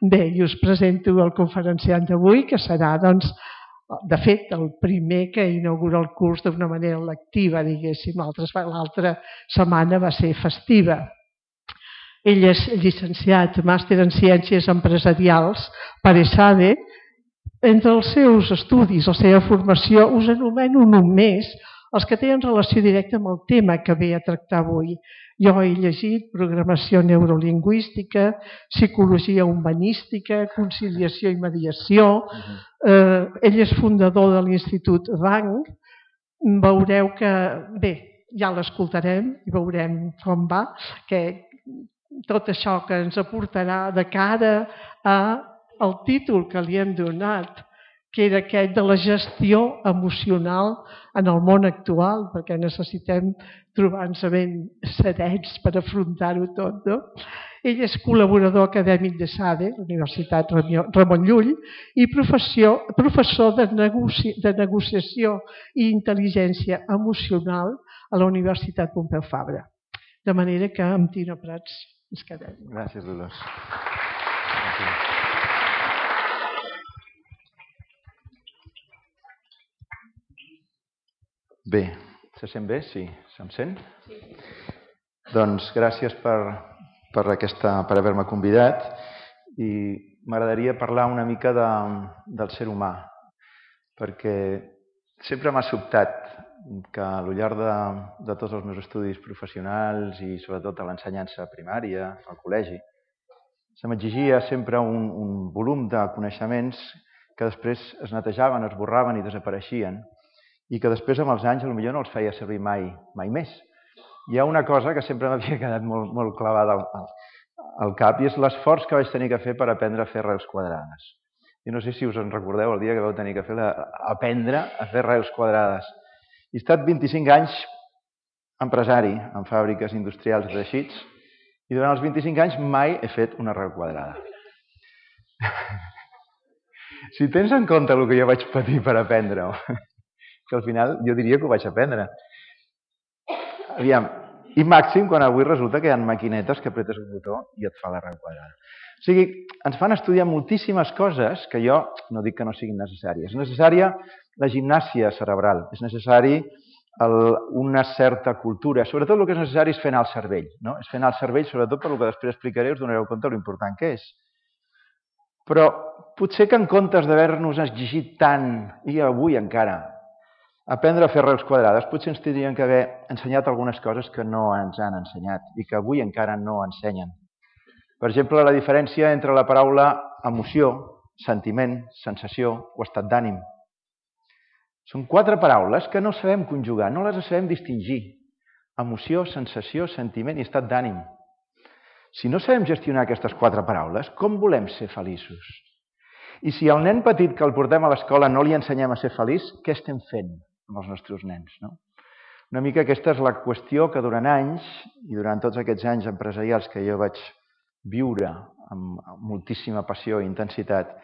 Bé, i us presento el conferenciant d'avui, que serà, doncs, de fet, el primer que inaugura el curs d'una manera lectiva, diguéssim. L'altra setmana va ser festiva. Ell és llicenciat, màster en Ciències Empresarials per ESADE. Entre els seus estudis, la seva formació, us anomeno només els que tenen relació directa amb el tema que ve a tractar avui. Jo he llegit programació neurolingüística, psicologia humanística, conciliació i mediació. Ell és fundador de l'Institut RANG. Veureu que, bé, ja l'escoltarem i veurem com va, que tot això que ens aportarà de cara al títol que li hem donat, que era aquest de la gestió emocional en el món actual, perquè necessitem trobar-nos ben serens per afrontar-ho tot, no? Ell és col·laborador acadèmic de SADE, Universitat Ramon Llull, i professor de negociació i intel·ligència emocional a la Universitat Pompeu Fabra. De manera que amb Tino Prats ens quedem. Gràcies, Dolors. Bé, se sent bé? Sí, se'm sent? Sí. Doncs gràcies per haver-me convidat i m'agradaria parlar una mica del ser humà, perquè sempre m'ha sobtat que al llarg de tots els meus estudis professionals i sobretot a l'ensenyança primària, al col·legi, se m'exigia sempre un volum de coneixements que després es netejaven, es borraven i desapareixien i que després amb els anys potser no els feia servir mai més. Hi ha una cosa que sempre m'havia quedat molt clavada al cap i és l'esforç que vaig tenir que fer per aprendre a fer arrels quadrades. I no sé si us en recordeu el dia que vau tenir que aprendre a fer arrels quadrades. He estat 25 anys empresari en fàbriques industrials de teixits i durant els 25 anys mai he fet una arrel quadrada. Si tens en compte el que jo vaig patir per aprendre-ho, que al final jo diria que ho vaig aprendre. Aviam, i màxim quan avui resulta que hi ha maquinetes que apretes un botó i et fa l'arrel quadrada. O sigui, ens fan estudiar moltíssimes coses que jo no dic que no siguin necessàries. És necessària la gimnàsia cerebral, és necessari una certa cultura. Sobretot el que és necessari és fer anar el cervell. És fer anar el cervell, sobretot per el que després explicaré, us donareu compte de l'important que és. Però potser que en comptes d'haver-nos exigit tant, i avui encara, aprendre a fer arrels quadrades, potser ens tindrien que haver ensenyat algunes coses que no ens han ensenyat i que avui encara no ensenyen. Per exemple, la diferència entre la paraula emoció, sentiment, sensació o estat d'ànim. Són 4 paraules que no sabem conjugar, no les sabem distingir. Emoció, sensació, sentiment i estat d'ànim. Si no sabem gestionar aquestes 4 paraules, com volem ser feliços? I si al nen petit que el portem a l'escola no li ensenyem a ser feliç, què estem fent amb els nostres nens? Una mica aquesta és la qüestió que durant anys, i durant tots aquests anys empresarials que jo vaig viure amb moltíssima passió i intensitat,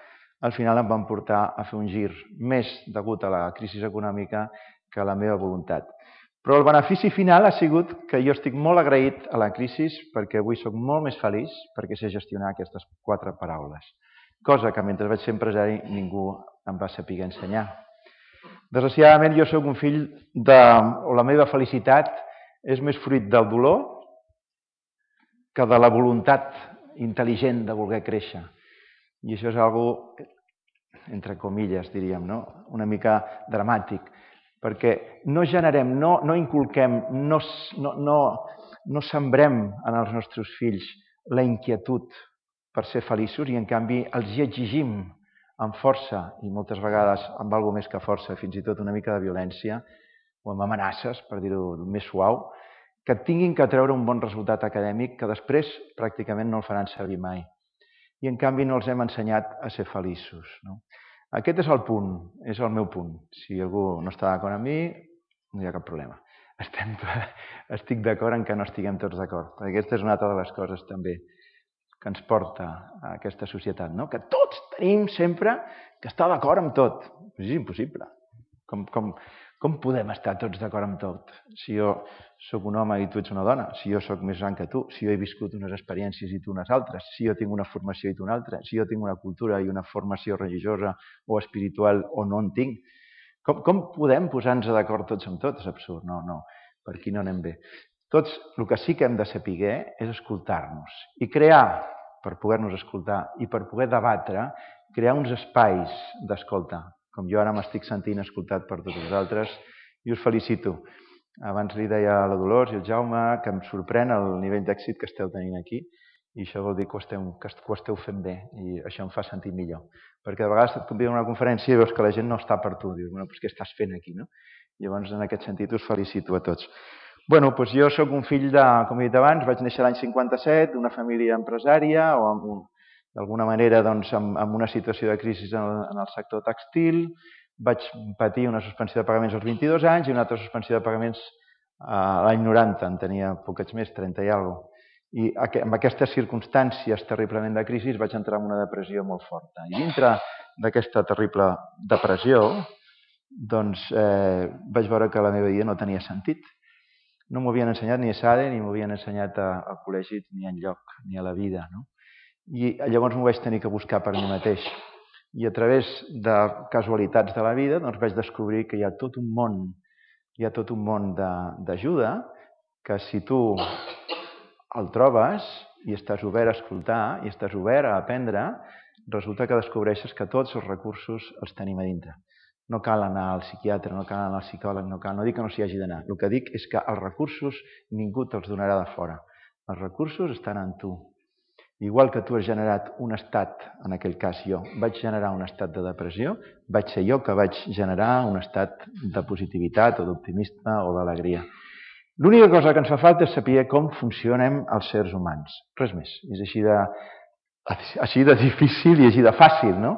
al final em van portar a fer un gir més degut a la crisi econòmica que a la meva voluntat. Però el benefici final ha sigut que jo estic molt agraït a la crisi perquè avui soc molt més feliç perquè sé gestionar aquestes 4 paraules, cosa que mentre vaig ser empresari ningú em va saber ensenyar. Desgraciadament jo soc un fill o la meva felicitat és més fruit del dolor que de la voluntat intel·ligent de voler créixer. I això és algo, entre comilles, diríem, una mica dramàtic, perquè no generem, no inculquem, no sembrem en els nostres fills la inquietud per ser feliços i en canvi els hi exigim amb força i moltes vegades amb alguna més que força, fins i tot una mica de violència o amb amenaces, per dir-ho més suau, que tinguin que treure un bon resultat acadèmic que després pràcticament no el faran servir mai. I en canvi no els hem ensenyat a ser feliços. Aquest és el punt, és el meu punt. Si algú no està d'acord amb mi, no hi ha cap problema. Estic d'acord en que no estiguem tots d'acord. Aquesta és una altra de les coses també que ens porta a aquesta societat, que tots tenim sempre que estar d'acord amb tot. És impossible. Com Com podem estar tots d'acord amb tot? Si jo sóc un home i tu ets una dona, si jo sóc més gran que tu, si jo he viscut unes experiències i tu unes altres, si jo tinc una formació i tu una altra, si jo tinc una cultura i una formació religiosa o espiritual o no en tinc, com podem posar-nos d'acord tots amb tots? És absurd, no, per aquí no anem bé. Tots, el que sí que hem de saber és escoltar-nos i crear, per poder-nos escoltar i per poder debatre, crear uns espais d'escolta. Com jo ara m'estic sentint escoltat per tots vosaltres i us felicito. Abans li deia a la Dolors i al Jaume que em sorprèn el nivell d'èxit que esteu tenint aquí i això vol dir que ho esteu fent bé i això em fa sentir millor. Perquè de vegades et conviden a una conferència i veus que la gent no està per tu. Dius, bueno, doncs què estàs fent aquí, no? Llavors, en aquest sentit, us felicito a tots. Bueno, doncs jo sóc un fill de, com he dit abans, vaig néixer l'any 57, d'una família empresària o d'alguna manera amb una situació de crisi en el sector tèxtil. Vaig patir una suspensió de pagaments als 22 anys i una altra suspensió de pagaments a l'any 90, en tenia poquets més, 30 i alguna cosa. I amb aquestes circumstàncies terriblement de crisi vaig entrar en una depressió molt forta. I dintre d'aquesta terrible depressió vaig veure que la meva vida no tenia sentit. No m'ho havien ensenyat ni a SADE, ni m'ho havien ensenyat al col·legi, ni enlloc, ni a la vida. No? I llavors m'ho vaig tenir que buscar per mi mateix. I a través de casualitats de la vida vaig descobrir que hi ha tot un món d'ajuda que si tu el trobes i estàs obert a escoltar i estàs obert a aprendre, resulta que descobreixes que tots els recursos els tenim a dintre. No cal anar al psiquiatre, no cal anar al psicòleg, no dic que no s'hi hagi d'anar. El que dic és que els recursos ningú te'ls donarà de fora. Els recursos estan en tu. Igual que tu has generat un estat, en aquell cas jo, vaig generar un estat de depressió, vaig ser jo que vaig generar un estat de positivitat o d'optimisme o d'alegria. L'única cosa que ens fa falta és saber com funcionem els sers humans. Res més. És així de difícil i així de fàcil, no?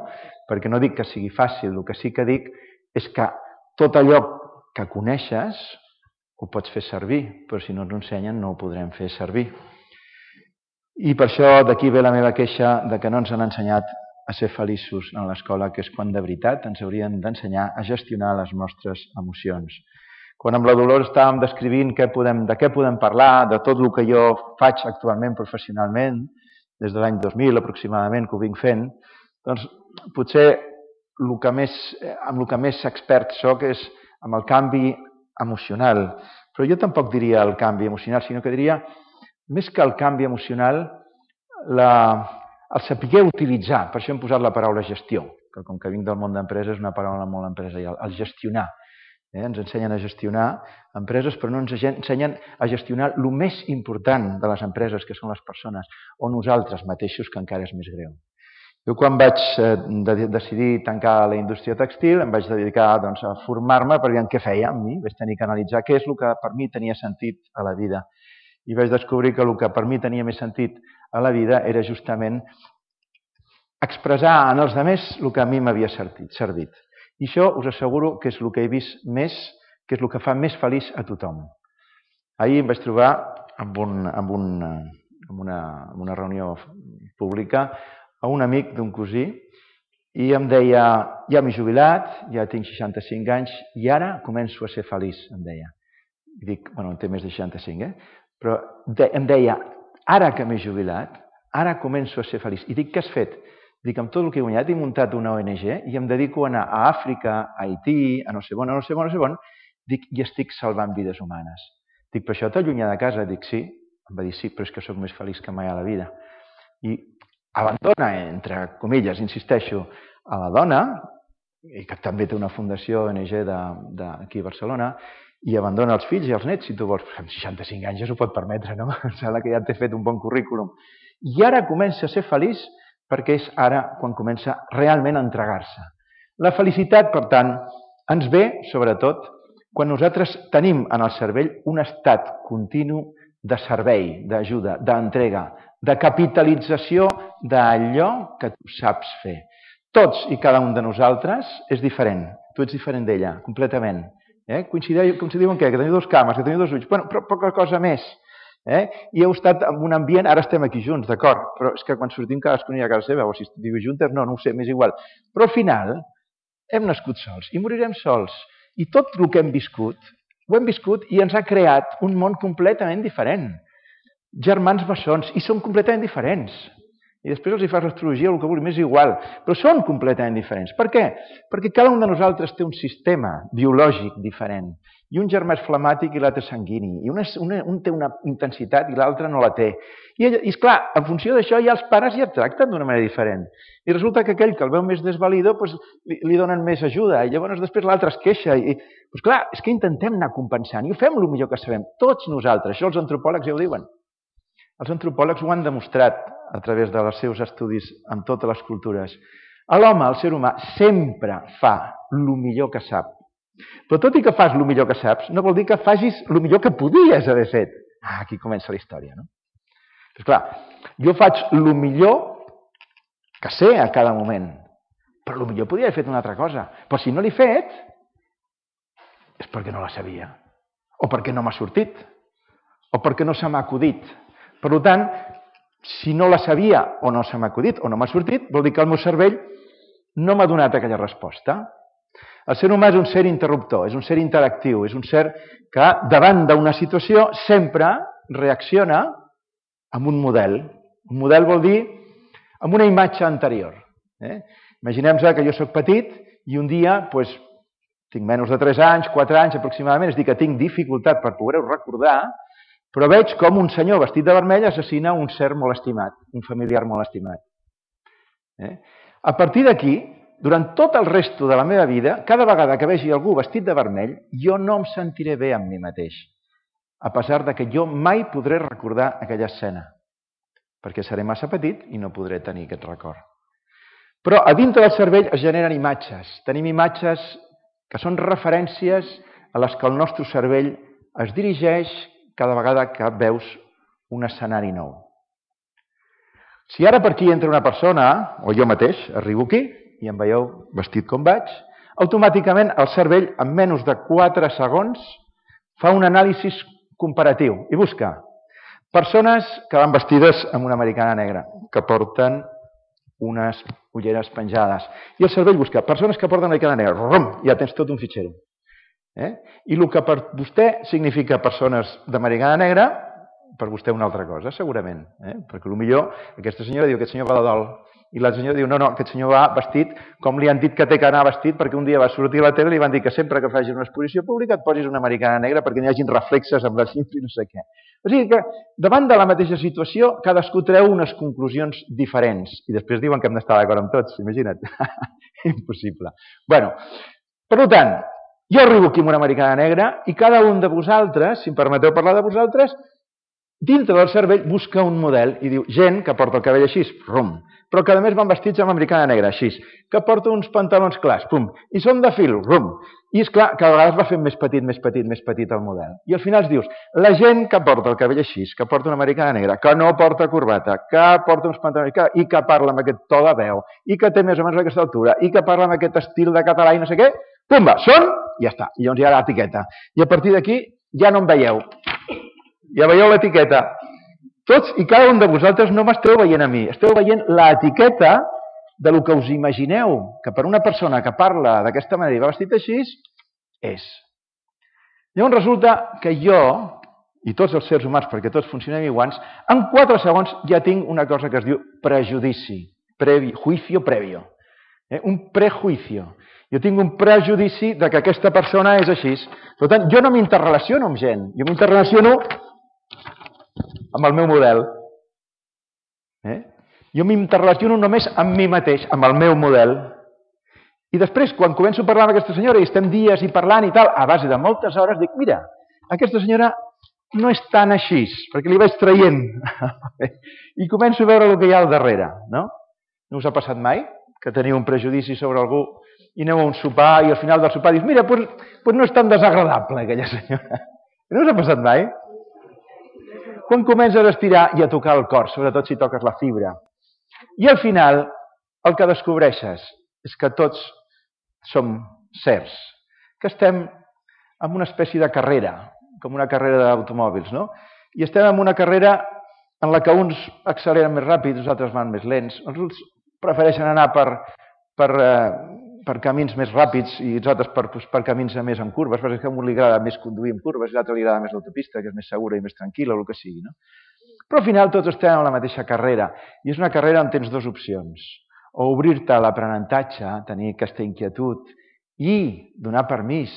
Perquè no dic que sigui fàcil, el que sí que dic és que tot allò que coneixes ho pots fer servir, però si no ens ho ensenyen no ho podrem fer servir. I per això d'aquí ve la meva queixa de que no ens han ensenyat a ser feliços en l'escola, que és quan de veritat ens haurien d'ensenyar a gestionar les nostres emocions. Quan amb la Dolors estàvem descrivint de què podem parlar, de tot el que jo faig actualment professionalment, des de l'any 2000 aproximadament que ho vinc fent, doncs potser amb el que més expert soc és amb el canvi emocional. Però jo tampoc diria el canvi emocional, sinó que diria, més que el canvi emocional, el saber utilitzar. Per això hem posat la paraula gestió, que com que vinc del món d'empreses és una paraula molt empresarial, el gestionar. Ens ensenyen a gestionar empreses, però no ens ensenyen a gestionar el més important de les empreses, que són les persones, o nosaltres mateixos, que encara és més greu. Jo quan vaig decidir tancar la indústria tèxtil em vaig dedicar a formar-me per veure què feia amb mi. Vaig tenir que analitzar què és el que per mi tenia sentit a la vida. I vaig descobrir que el que per mi tenia més sentit a la vida era justament expressar en els altres el que a mi m'havia servit. I això us asseguro que és el que he vist més, que és el que fa més feliç a tothom. Ahir em vaig trobar en una reunió pública a un amic d'un cosí i em deia, ja m'he jubilat, ja tinc 65 anys i ara començo a ser feliç, em deia. I dic, bueno, té més de 65, Però em deia, ara que m'he jubilat, ara començo a ser feliç. I dic, què has fet? Dic, amb tot el que he guanyat he muntat una ONG i em dedico a anar a Àfrica, a Haití, a no sé on, dic, i estic salvant vides humanes. Dic, però això t'allunya de casa? Dic, sí. Em va dir, sí, però és que sóc més feliç que mai a la vida. I abandona, entre comilles, insisteixo, a la dona, i que també té una fundació ONG d'aquí a Barcelona, i abandona els fills i els nets, si tu vols. Amb 65 anys ja s'ho pot permetre, no? Em sembla que ja t'he fet un bon currículum. I ara comença a ser feliç perquè és ara quan comença realment a entregar-se. La felicitat, per tant, ens ve, sobretot, quan nosaltres tenim en el cervell un estat continu de servei, d'ajuda, d'entrega, de capitalització d'allò que tu saps fer. Tots i cada un de nosaltres és diferent. Tu ets diferent d'ella, completament. Coincidiu en què? Que teniu dos cames, que teniu dos ulls, però poca cosa més. I heu estat en un ambient, ara estem aquí junts, d'acord, però és que quan sortim cadascun a casa seva, o si viu juntes, no ho sé, m'és igual. Però al final hem nascut sols i morirem sols. I tot el que hem viscut, ho hem viscut i ens ha creat un món completament diferent. Germans bessons, i són completament diferents. I després els hi fas l'astrologia o el que vulgui, m'és igual, però són completament diferents. Per què? Perquè cada un de nosaltres té un sistema biològic diferent. I un germà és flemàtic i l'altre és sanguini. I un té una intensitat i l'altre no la té. I esclar, en funció d'això ja els pares ja tracten d'una manera diferent. I resulta que aquell que el veu més desvalido li donen més ajuda i llavors després l'altre es queixa. Clar, és que intentem anar compensant i ho fem el millor que sabem, tots nosaltres. Això els antropòlegs ja ho diuen. Els antropòlegs ho han demostrat a través dels seus estudis amb totes les cultures. L'home, el ser humà, sempre fa el millor que sap. Però tot i que fas el millor que saps, no vol dir que facis el millor que podies haver fet. Aquí comença la història, no? Però clar, jo faig el millor que sé a cada moment, però el millor podria haver fet una altra cosa. Però si no l'he fet, és perquè no la sabia, o perquè no m'ha sortit, o perquè no se m'ha acudit. Per tant, si no la sabia o no se m'ha acudit o no m'ha sortit, vol dir que el meu cervell no m'ha donat aquella resposta. El ser humà és un ser interruptor, és un ser interactiu, és un ser que davant d'una situació sempre reacciona amb un model. Un model vol dir amb una imatge anterior. Imaginem-nos que jo soc petit i un dia tinc menys de 3 anys, 4 anys aproximadament, és a dir, que tinc dificultat per poder-ho recordar, però veig com un senyor vestit de vermell assassina un ser molt estimat, un familiar molt estimat. A partir d'aquí, durant tot el resto de la meva vida, cada vegada que vegi algú vestit de vermell, jo no em sentiré bé amb mi mateix, a pesar que jo mai podré recordar aquella escena, perquè seré massa petit i no podré tenir aquest record. Però a dintre del cervell es generen imatges. Tenim imatges que són referències a les que el nostre cervell es dirigeix cada vegada que veus un escenari nou. Si ara per aquí entra una persona, o jo mateix, arribo aquí, i em veieu vestit com vaig, automàticament el cervell, en menys de 4 segons, fa un anàlisi comparatiu i busca persones que van vestides amb una americana negra, que porten unes ulleres penjades. I el cervell busca persones que porten una americana negra. Rum, ja tens tot un fitxer. I el que per vostè significa persones d'americana negra, per vostè una altra cosa, segurament. Perquè potser aquesta senyora diu que aquest senyor va de dol. I la senyora diu, no, aquest senyor va vestit com li han dit que té que anar vestit perquè un dia va sortir a la tele i li van dir que sempre que facis una exposició pública et posis una americana negra perquè n'hi hagin reflexes amb les llums i no sé què. O sigui que davant de la mateixa situació cadascú treu unes conclusions diferents i després diuen que hem d'estar d'acord amb tots, imagina't. Impossible. Per tant, jo arribo aquí amb una americana negra i cada un de vosaltres, si em permeteu parlar de vosaltres, dintre del cervell busca un model i diu gent que porta el cabell així, rum, però que a més van vestits amb americana negra, així, que porta uns pantalons clars, pum, i són de fil, rum. I és clar, cada vegada es va fent més petit el model. I al final es dius, la gent que porta el cabell així, que porta una americana negra, que no porta corbata, que porta uns pantalons i que parla amb aquest to de veu, i que té més o menys aquesta altura, i que parla amb aquest estil de català i no sé què, pumba, són, i ja està. I llavors hi ha l'etiqueta. I a partir d'aquí ja no em veieu. Ja veieu l'etiqueta. Tots i cada un de vosaltres no m'esteu veient a mi, esteu veient l'etiqueta del que us imagineu que per una persona que parla d'aquesta manera i va vestit així, és. Llavors resulta que jo, i tots els sers humans, perquè tots funcionem iguals, en 4 segons ja tinc una cosa que es diu prejudici, juicio previo, un prejuicio. Jo tinc un prejudici de que aquesta persona és així. Per tant, jo no m'interrelaciono amb gent, jo m'interrelaciono amb el meu model. Jo m'interrelaciono només amb mi mateix, amb el meu model. I després, quan començo a parlar amb aquesta senyora i estem dies i parlant i tal, a base de moltes hores, dic, mira, aquesta senyora no és tan així, perquè li vaig traient. I començo a veure el que hi ha al darrere, no? No us ha passat mai que teniu un prejudici sobre algú i aneu a un sopar i al final del sopar dius, mira, doncs no és tan desagradable aquella senyora. No us ha passat mai? Quan comences a estirar i a tocar el cor, sobretot si toques la fibra. I al final el que descobreixes és que tots som sers, que estem en una espècie de carrera, com una carrera d'automòbils, no? I estem en una carrera en la que uns acceleren més ràpid, els altres van més lents, els prefereixen anar per per camins més ràpids i els altres per camins més en curves, perquè a un li agrada més conduir en curves i a l'altre li agrada més l'autopista, que és més segura i més tranquil·la, o el que sigui, no? Però al final tots estem en la mateixa carrera, i és una carrera on tens dues opcions. O obrir-te a l'aprenentatge, tenir aquesta inquietud, i donar permís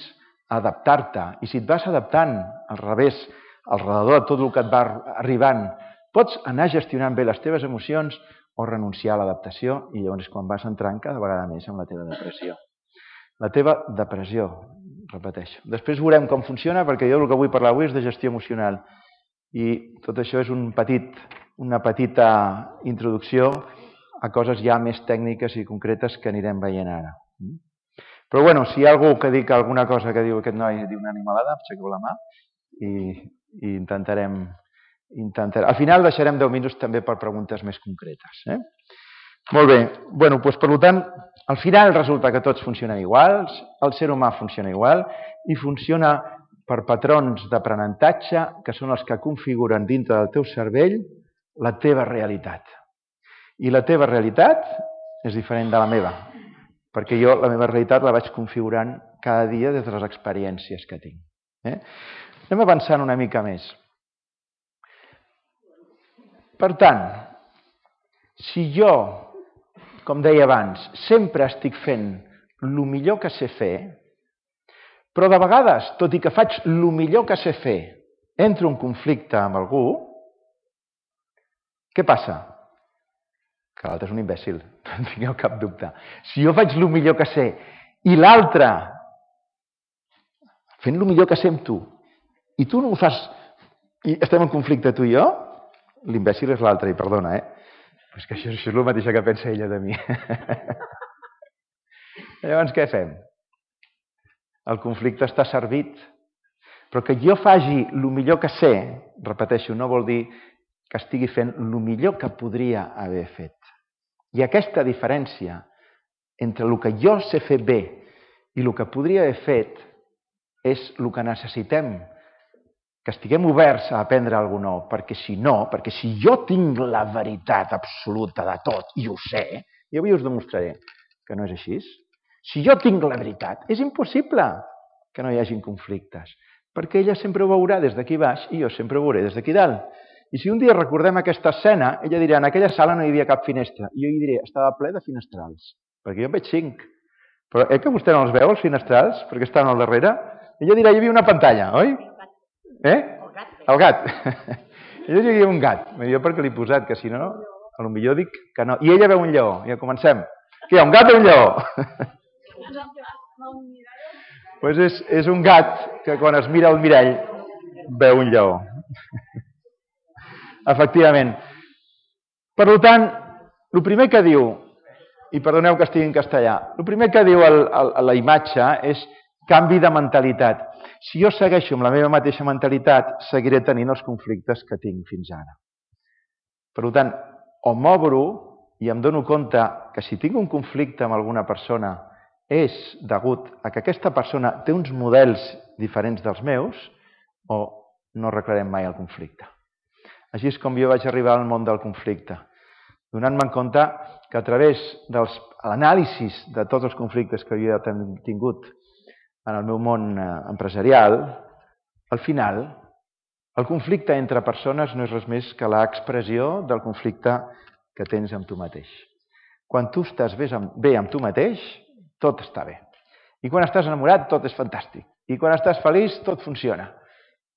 a adaptar-te. I si et vas adaptant al revés, al redador de tot el que et va arribant, pots anar gestionant bé les teves emocions o renunciar a l'adaptació, i llavors és quan vas entrant cada vegada més en la teva depressió. La teva depressió, repeteixo. Després veurem com funciona, perquè jo el que vull parlar avui és de gestió emocional. I tot això és una petita introducció a coses ja més tècniques i concretes que anirem veient ara. Però bueno, si hi ha algú que dic alguna cosa que diu aquest noi diu una animalada, aixequeu la mà i intentarem... Al final deixarem 10 minuts també per preguntes més concretes. Molt bé, bueno, doncs per tant, al final resulta que tots funcionen iguals, el ser humà funciona igual i funciona per patrons d'aprenentatge que són els que configuren dintre del teu cervell la teva realitat. I la teva realitat és diferent de la meva, perquè jo la meva realitat la vaig configurant cada dia des de les experiències que tinc. Anem avançant una mica més. Per tant, si jo, com deia abans, sempre estic fent el millor que sé fer, però de vegades, tot i que faig el millor que sé fer, entro en conflicte amb algú, què passa? Que l'altre és un imbècil, no en tingueu cap dubte. Si jo faig el millor que sé i l'altre fent el millor que sé amb tu, i tu no ho fas, i estem en conflicte tu i jo, l'imbècil és l'altre, i perdona, però és que això és el mateix que pensa ella de mi. Llavors, què fem? El conflicte està servit, però que jo faci el millor que sé, repeteixo, no vol dir que estigui fent el millor que podria haver fet. I aquesta diferència entre el que jo sé fer bé i el que podria haver fet és el que necessitem, que estiguem oberts a aprendre alguna cosa, perquè si no, perquè si jo tinc la veritat absoluta de tot i ho sé, i avui us demostraré que no és així, si jo tinc la veritat, és impossible que no hi hagin conflictes, perquè ella sempre ho veurà des d'aquí baix i jo sempre ho veuré des d'aquí dalt. I si un dia recordem aquesta escena, ella dirà, en aquella sala no hi havia cap finestra, i jo hi diré, estava ple de finestrals, perquè jo en veig 5. Però que vostè no els veu, els finestrals, perquè estan al darrere? Ella dirà, hi havia una pantalla, oi? El gat. Ella diria un gat, jo perquè l'he posat, que si no, potser dic que no. I ella veu un lleó, ja comencem. Què hi ha, un gat o un lleó? Doncs és un gat que quan es mira al mirall veu un lleó. Efectivament. Per tant, el primer que diu, i perdoneu que estigui en castellà, el primer que diu a la imatge és canvi de mentalitat. Si jo segueixo amb la meva mateixa mentalitat, seguiré tenint els conflictes que tinc fins ara. Per tant, o m'obro i em dono compte que si tinc un conflicte amb alguna persona és degut a que aquesta persona té uns models diferents dels meus, o no arreglarem mai el conflicte. Així és com jo vaig arribar al món del conflicte, donant-me compte que a través de l'anàlisi de tots els conflictes que jo he tingut en el meu món empresarial, al final, el conflicte entre persones no és res més que l'expressió del conflicte que tens amb tu mateix. Quan tu estàs bé amb tu mateix, tot està bé. I quan estàs enamorat, tot és fantàstic. I quan estàs feliç, tot funciona.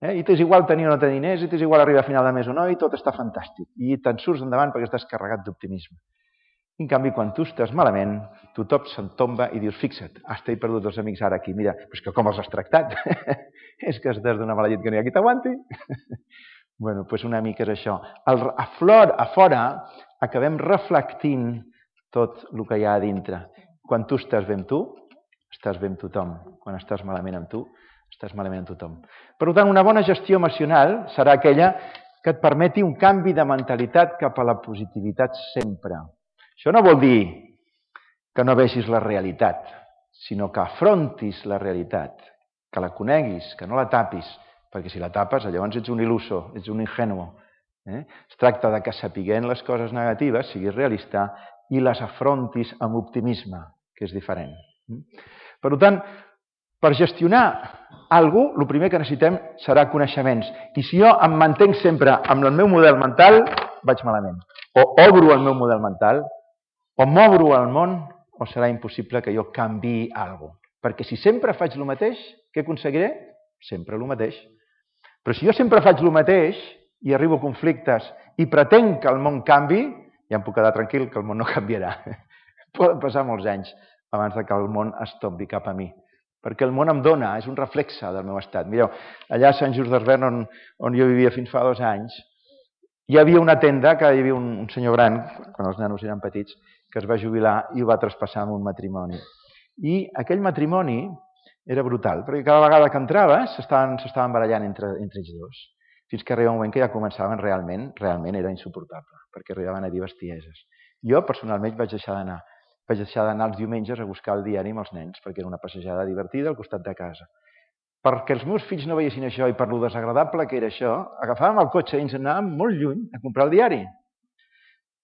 I t'és igual tenir o no tenir diners, i t'és igual arribar a final de mes o no, i tot està fantàstic. I te'n surts endavant perquè estàs carregat d'optimisme. En canvi, quan tu estàs malament, tothom se'n tomba i dius, fixa't, he perdut els amics ara aquí, mira, però és que com els has tractat? És que estàs d'una mala llet que no hi ha qui t'aguanti? Bé, doncs una mica és això. A fora acabem reflectint tot el que hi ha a dintre. Quan tu estàs bé amb tu, estàs bé amb tothom. Quan estàs malament amb tu, estàs malament amb tothom. Per tant, una bona gestió emocional serà aquella que et permeti un canvi de mentalitat cap a la positivitat sempre. Això no vol dir que no vegis la realitat, sinó que afrontis la realitat, que la coneguis, que no la tapis, perquè si la tapes llavors ets un il·luso, ets un ingenuo. Es tracta de que sapiguent les coses negatives siguis realista i les afrontis amb optimisme, que és diferent. Per tant, per gestionar alguna cosa, el primer que necessitem serà coneixements. I si jo em mantenc sempre amb el meu model mental, vaig malament. O obro el meu model mental, o m'obro al món, o serà impossible que jo canviï alguna cosa. Perquè si sempre faig el mateix, què aconseguiré? Sempre el mateix. Però si jo sempre faig el mateix i arribo a conflictes i pretenc que el món canvi, ja em puc quedar tranquil que el món no canviarà. Poden passar molts anys abans que el món es tombi cap a mi. Perquè el món em dona, és un reflexe del meu estat. Mireu, allà a Sant Just d'Esvern, on jo vivia fins fa 2 anys, hi havia una tenda que hi havia un senyor gran, quan els nanos eren petits, que es va jubilar i ho va traspassar amb un matrimoni. I aquell matrimoni era brutal, perquè cada vegada que entraves s'estaven barallant entre ells dos, fins que arriba un moment que ja començaven realment era insuportable, perquè arribaven a dir bestieses. Jo, personalment, vaig deixar d'anar els diumenges a buscar el diari amb els nens, perquè era una passejada divertida al costat de casa. Perquè els meus fills no veiessin això i per lo desagradable que era això, agafàvem el cotxe i ens anàvem molt lluny a comprar el diari.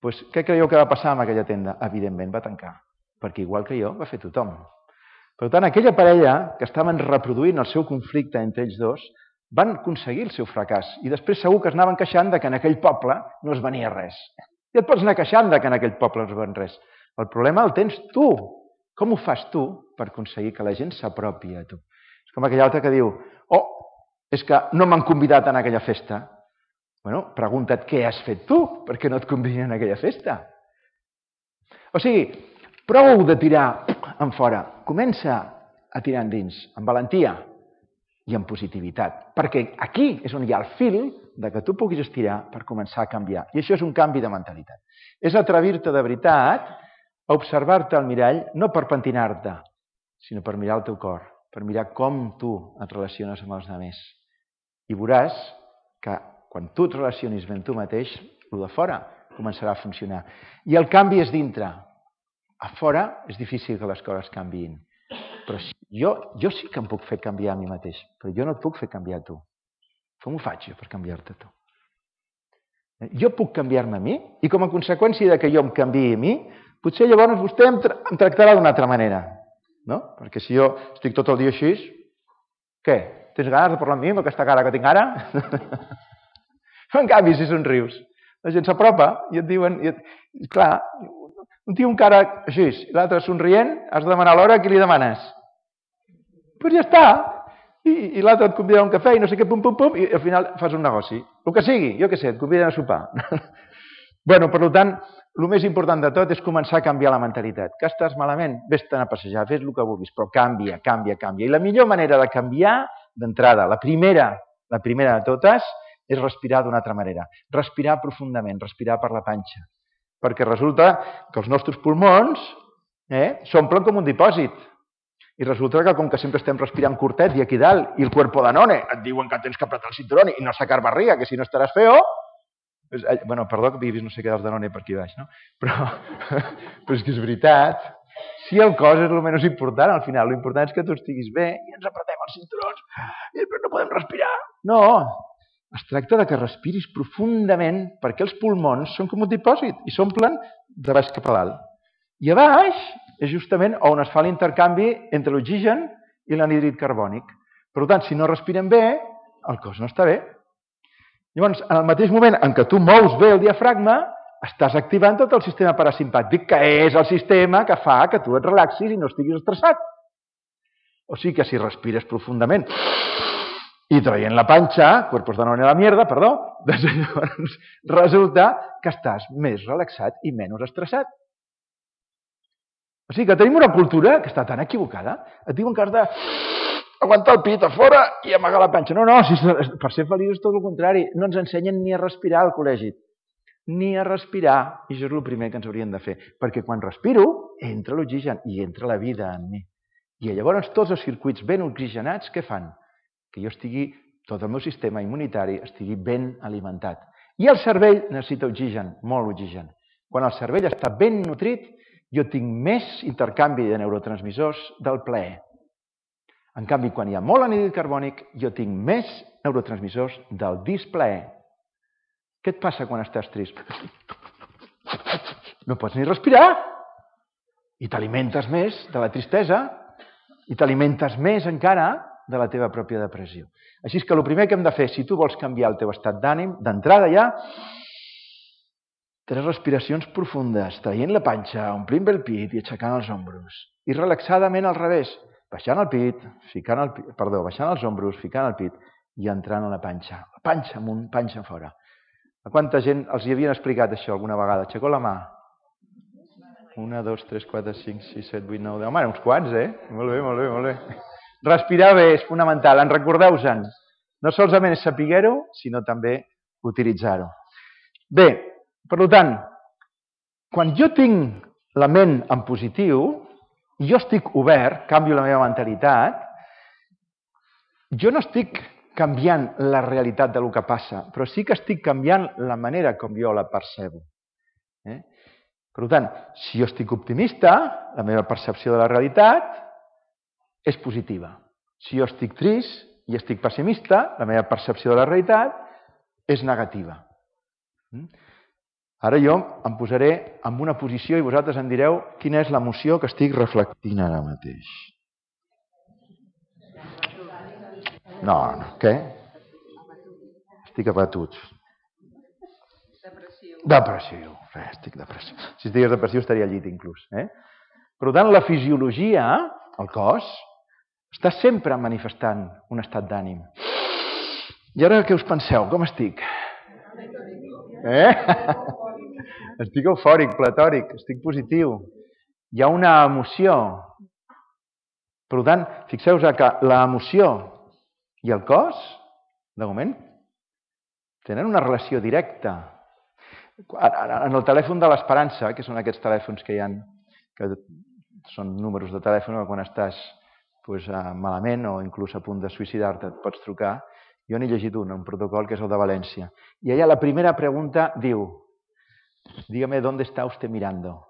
Doncs què creieu que va passar amb aquella tenda? Evidentment va tancar, perquè igual que jo va fer tothom. Per tant, aquella parella que estaven reproduint el seu conflicte entre ells dos van aconseguir el seu fracàs i després segur que es anaven queixant que en aquell poble no es venia res. I et pots anar queixant que en aquell poble no es ven res. El problema el tens tu. Com ho fas tu per aconseguir que la gent s'apropi a tu? És com aquell altre que diu, és que no m'han convidat a aquella festa. Bueno, pregunta't què has fet tu perquè no et convidin a aquella festa. O sigui, prou de tirar en fora. Comença a tirar endins, amb valentia i amb positivitat. Perquè aquí és on hi ha el fil de que tu puguis estirar per començar a canviar. I això és un canvi de mentalitat. És atrevir-te de veritat a observar-te al mirall, no per pentinar-te, sinó per mirar el teu cor, per mirar com tu et relaciones amb els altres. I veuràs que quan tu et relacionis ben tu mateix, el de fora començarà a funcionar. I el canvi és dintre. A fora és difícil que les coses canviïn. Però jo sí que em puc fer canviar a mi mateix, però jo no et puc fer canviar a tu. Com ho faig jo per canviar-te a tu? Jo puc canviar-me a mi i com a conseqüència de que jo em canviï a mi, potser llavors vostè em tractarà d'una altra manera. No? Perquè si jo estic tot el dia així, què? Tens ganes de parlar amb mi amb aquesta cara que tinc ara? En canvi, si somrius, la gent s'apropa i et diuen... Clar, un tio amb cara així i l'altre somrient, has de demanar l'hora a qui li demanes. Doncs ja està. I l'altre et convida a un cafè i no sé què, pum, pum, pum, i al final fas un negoci. El que sigui, jo què sé, et conviden a sopar. Bueno, per tant, el més important de tot és començar a canviar la mentalitat. Que estàs malament? Vés-te'n a passejar, fes el que vulguis, però canvia, canvia, canvia. I la millor manera de canviar, d'entrada, la primera de totes, és respirar d'una altra manera. Respirar profundament, respirar per la panxa. Perquè resulta que els nostres pulmons s'omplen com un dipòsit. I resulta que com que sempre estem respirant curtet i aquí dalt, i el cuerpo danone, et diuen que tens que apretar el cinturón i no sacar barriga, que si no estaràs feo... Bueno, perdó que vist no sé què dels danone per aquí baix, no? Però és que és veritat. Si el cos és el menys important, al final, l'important és que tu estiguis bé i ens apretem els cinturons i després no podem respirar. No, es tracta de que respiris profundament perquè els pulmons són com un dipòsit i s'omplen de baix cap a dalt. I a baix és justament on es fa l'intercanvi entre l'oxigen i l'anhídrid carbònic. Per tant, si no respirem bé, el cos no està bé. Llavors, en el mateix moment en què tu mous bé el diafragma, estàs activant tot el sistema parasimpàtic, que és el sistema que fa que tu et relaxis i no estiguis estressat. O sigui que si respires profundament i traient la panxa, cuerpos danone a la mierda, perdó, doncs llavors resulta que estàs més relaxat i menys estressat. O sigui que tenim una cultura que està tan equivocada. Et diuen que has d'aguantar el pit a fora i amagar la panxa. No, per ser feliç és tot el contrari. No ens ensenyen ni a respirar al col·legi. Ni a respirar. I això és el primer que ens haurien de fer. Perquè quan respiro, entra l'oxigen i entra la vida en mi. I llavors tots els circuits ben oxigenats, què fan? Que jo estigui, tot el meu sistema immunitari estigui ben alimentat. I el cervell necessita oxigen, molt oxigen. Quan el cervell està ben nutrit, jo tinc més intercanvi de neurotransmissors del plaer. En canvi, quan hi ha molt anhídrid carbònic, jo tinc més neurotransmissors del displaer. Què et passa quan estàs trist? No pots ni respirar. I t'alimentes més de la tristesa i t'alimentes més encara de la teva pròpia depressió. Així que el primer que hem de fer, si tu vols canviar el teu estat d'ànim, d'entrada ja, 3 respiracions profundes, traient la panxa, omplint bé el pit i aixecant els ombros. I relaxadament al revés, baixant el pit, baixant els ombros, ficant el pit i entrant a la panxa. La panxa amunt, panxa fora. A quanta gent els hi havien explicat això alguna vegada? Aixeceu la mà. 1, 2, 3, 4, 5, 6, 7, 8, 9, 10... Home, uns quants, Molt bé, molt bé, molt bé. Respirar bé és fonamental, en recordeu-se'n. No solament és saber-ho, sinó també utilitzar-ho. Bé, per tant, quan jo tinc la ment en positiu, i jo estic obert, canvio la meva mentalitat, jo no estic canviant la realitat del que passa, però sí que estic canviant la manera com jo la percebo. Per tant, si jo estic optimista, la meva percepció de la realitat és positiva. Si jo estic trist i estic pessimista, la meva percepció de la realitat és negativa. Ara jo em posaré en una posició i vosaltres em direu quina és l'emoció que estic reflectint ara mateix. No, què? Estic abatut. Depressió. Estic depressiu. Si estigués depressiu estaria al llit inclús. Per tant, la fisiologia, el cos, està sempre manifestant un estat d'ànim. I ara què us penseu? Com estic? Estic eufòric, platòric, estic positiu. Hi ha una emoció. Per tant, fixeu-vos que l'emoció i el cos, de moment, tenen una relació directa. En el telèfon de l'esperança, que són aquests telèfons que hi ha, que són números de telèfon quan estàs malament o inclús a punt de suïcidar-te, et pots trucar. Jo n'he llegit un protocol que és el de València. I allà la primera pregunta diu: dígame, ¿dónde está usted mirando?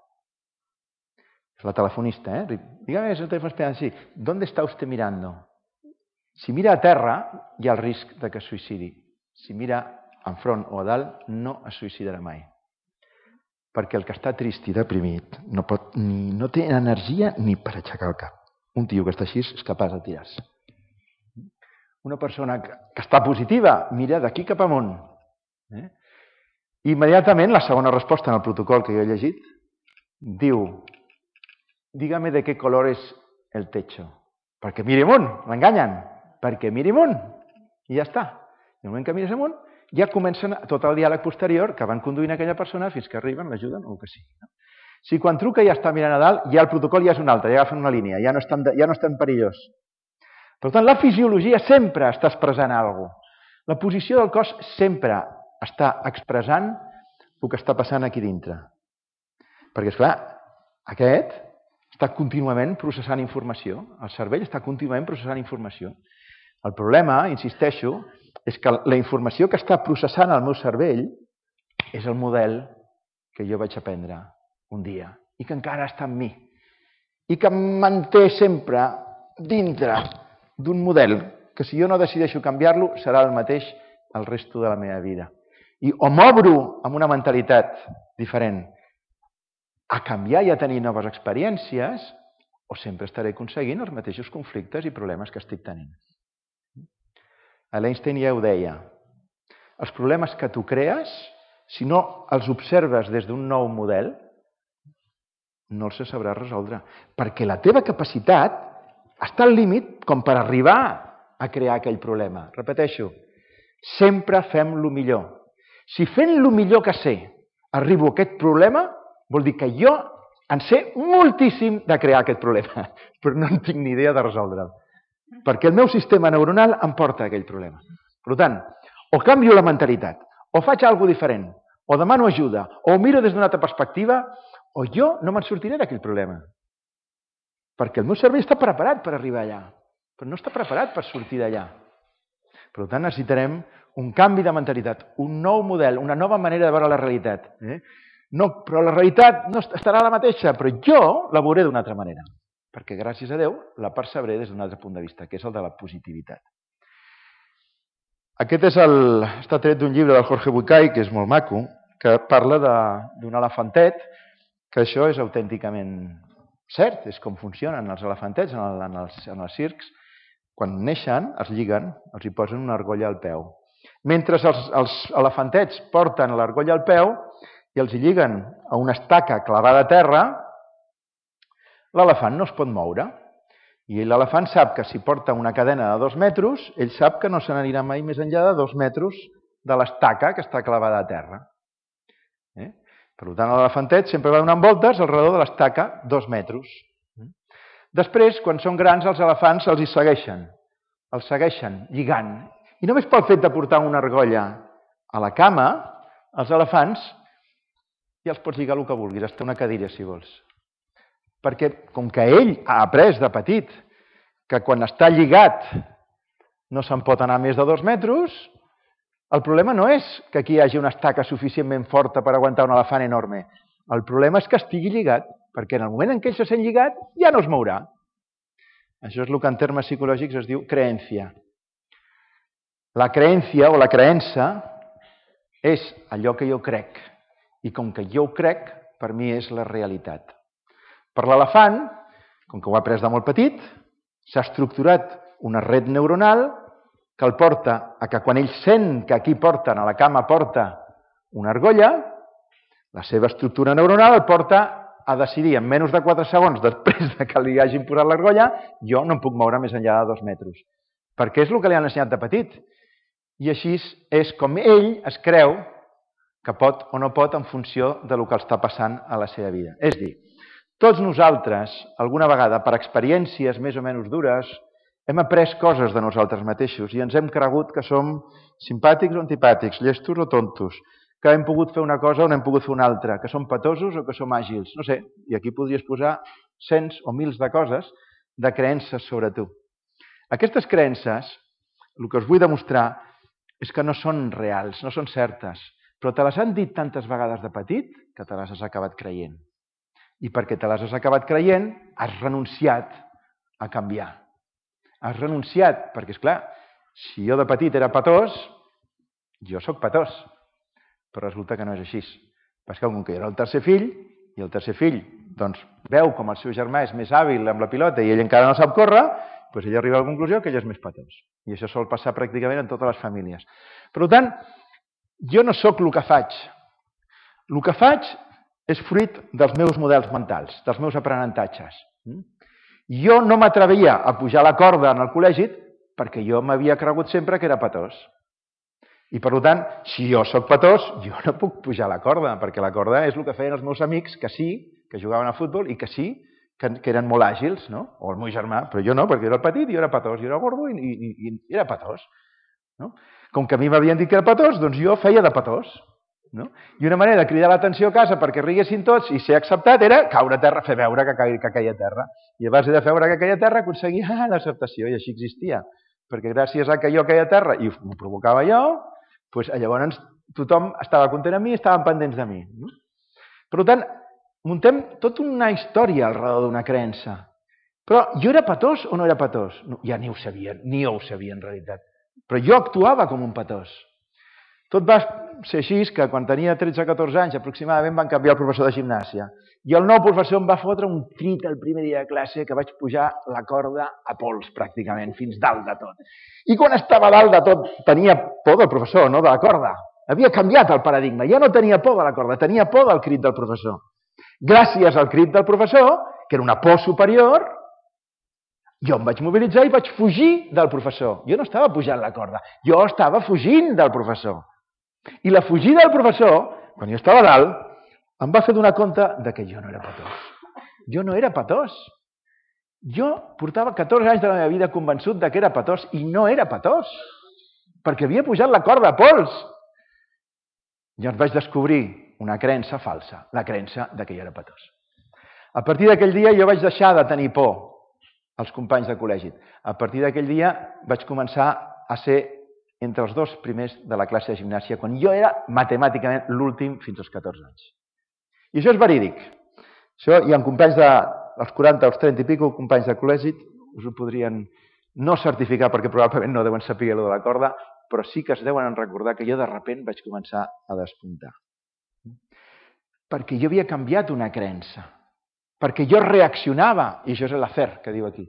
És la telefonista, Dígame, és el telèfon esperant, sí. ¿Dónde está usted mirando? Si mira a terra, hi ha el risc de que es suïcidi. Si mira enfront o a dalt, no es suïcidarà mai. Perquè el que està trist i deprimit no té energia ni per aixecar el cap. Un tio que està així és capaç de tirar-se. Una persona que està positiva mira d'aquí cap amunt. Immediatament, la segona resposta en el protocol que jo he llegit diu: dígame de qué color es el techo. Perquè miri amunt, l'enganyen. Perquè miri amunt. I ja està. I el moment que mires amunt, ja comencen tot el diàleg posterior que van conduint aquella persona fins que arriben, l'ajuden o el que sigui. Si quan truca ja està mirant a dalt, ja el protocol ja és un altre, ja agafen una línia, ja no és tan perillós. Per tant, la fisiologia sempre està expressant alguna cosa. La posició del cos sempre està expressant el que està passant aquí dintre. Perquè, esclar, aquest està contínuament processant informació. El cervell està contínuament processant informació. El problema, insisteixo, és que la informació que està processant el meu cervell és el model que jo vaig aprendre un dia i que encara està en mi i que em manté sempre dintre d'un model que si jo no decideixo canviar-lo serà el mateix el resto de la meva vida. I o m'obro amb una mentalitat diferent a canviar i a tenir noves experiències o sempre estaré aconseguint els mateixos conflictes i problemes que estic tenint. L'Einstein ja ho deia, els problemes que tu crees, si no els observes des d'un nou model, no els sabràs resoldre, perquè la teva capacitat està al límit com per arribar a crear aquell problema. Repeteixo, sempre fem el millor. Si fent el millor que sé arribo a aquest problema, vol dir que jo en sé moltíssim de crear aquest problema, però no en tinc ni idea de resoldre'l. Perquè el meu sistema neuronal em porta a aquell problema. Per tant, o canvio la mentalitat, o faig alguna cosa diferent, o demano ajuda, o ho miro des d'una altra perspectiva, o jo no me'n sortiré d'aquell problema. Perquè el meu cervell està preparat per arribar allà, però no està preparat per sortir d'allà. Per tant, necessitarem un canvi de mentalitat, un nou model, una nova manera de veure la realitat. No, però la realitat no estarà la mateixa, però jo la veuré d'una altra manera. Perquè, gràcies a Déu, la percebré des d'un altre punt de vista, que és el de la positivitat. Aquest està tret d'un llibre del Jorge Bucay, que és molt maco, que parla d'un elefantet, que això és autènticament cert, és com funcionen els elefantets en els circs. Quan neixen, es lliguen, els hi posen una argolla al peu. Mentre els elefantets porten l'argolla al peu i els hi lliguen a una estaca clavada a terra, l'elefant no es pot moure. I l'elefant sap que si porta una cadena de 2 metres, ell sap que no se n'anirà mai més enllà de 2 metres de l'estaca que està clavada a terra. Per tant, l'elefantet sempre va donant voltes al redor de l'estaca 2 metres. Després, quan són grans, els elefants els hi segueixen. Els segueixen lligant. I només pel fet de portar una argolla a la cama, els elefants ja els pots lligar el que vulguis, hasta una cadira, si vols. Perquè, com que ell ha après de petit que quan està lligat no se'n pot anar més de 2 metres, el problema no és que aquí hi hagi una estaca suficientment forta per aguantar un elefant enorme. El problema és que estigui lligat, perquè en el moment en què ell se sent lligat ja no es mourà. Això és el que en termes psicològics es diu creencia. La creencia o la creença és allò que jo crec. I com que jo ho crec, per mi és la realitat. Per l'elefant, com que ho ha après de molt petit, s'ha estructurat una red neuronal que el porta a que quan ell sent que aquí porten, a la cama porta una argolla, la seva estructura neuronal el porta a decidir en menys de 4 segons després que li hagin posat l'argolla, jo no em puc moure més enllà de 2 metres. Perquè és el que li han ensenyat de petit. I així és com ell es creu que pot o no pot en funció del que està passant a la seva vida. És a dir, tots nosaltres, alguna vegada, per experiències més o menys dures, hem après coses de nosaltres mateixos i ens hem cregut que som simpàtics o antipàtics, llestos o tontos, que hem pogut fer una cosa o n'hem pogut fer una altra, que som petosos o que som àgils, no sé, i aquí podries posar cents o mils de coses, de creences sobre tu. Aquestes creences, el que us vull demostrar és que no són reals, no són certes, però te les han dit tantes vegades de petit que te les has acabat creient. I perquè te les has acabat creient, has renunciat a canviar. Has renunciat, perquè, esclar, si jo de petit era petós, jo sóc petós, però resulta que no és així. Perquè com que jo era el tercer fill, i el tercer fill doncs, veu com el seu germà és més hàbil amb la pilota i ell encara no sap córrer, doncs ell arriba a la conclusió que ell és més petós. I això sol passar pràcticament en totes les famílies. Per tant, jo no sóc el que faig. El que faig és fruit dels meus models mentals, dels meus aprenentatges. Jo no m'atrevia a pujar la corda en el col·legi perquè jo m'havia cregut sempre que era petós. I per tant, si jo sóc petós, jo no puc pujar la corda, perquè la corda és el que feien els meus amics, que sí, que jugaven a futbol i que sí, que eren molt àgils, no? O el meu germà, però jo no, perquè era el petit i jo era petós, jo era gordo i era petós. No? Com que a mi m'havien dit que era petós, doncs jo feia de petós. No? I una manera de cridar l'atenció a casa perquè riguessin tots i ser acceptat era caure a terra, fer veure que caia a terra. I a base de fer veure que caia a terra aconseguia l'acceptació, i així existia. Perquè gràcies a que jo caia a terra i ho provocava jo, doncs llavors tothom estava content amb mi i estaven pendents de mi. Per tant, muntem tota una història al redor d'una creença. Però jo era petós o no era petós? No, ja ni ho sabia, ni jo ho sabia en realitat. Però jo actuava com un petós. Tot va ser així que quan tenia 13-14 anys aproximadament van canviar el professor de gimnàsia. I el nou professor em va fotre un crit el primer dia de classe que vaig pujar la corda a pols pràcticament, fins dalt de tot. I quan estava dalt de tot tenia por del professor, no de la corda. Havia canviat el paradigma. Ja no tenia por de la corda, tenia por del crit del professor. Gràcies al crit del professor, que era una por superior, jo em vaig mobilitzar i vaig fugir del professor. Jo no estava pujant la corda, jo estava fugint del professor. I la fugida del professor, quan jo estava dalt, em va fer donar compte que jo no era petós. Jo no era petós. Jo portava 14 anys de la meva vida convençut que era petós i no era petós, perquè havia pujat la corda a pols. Llavors vaig descobrir una creença falsa, la creença que jo era petós. A partir d'aquell dia jo vaig deixar de tenir por als companys de col·legi. A partir d'aquell dia vaig començar a ser entre els 2 primers de la classe de gimnàsia, quan jo era matemàticament l'últim fins als 14 anys. I això és verídic. Això hi ha companys dels 40 als 30 i pico, companys de col·legi, us ho podrien no certificar perquè probablement no deuen saber allò de la corda, però sí que es deuen recordar que jo de sobte vaig començar a despuntar. Perquè jo havia canviat una creença. perquè jo reaccionava, i això és l'afer que diu aquí.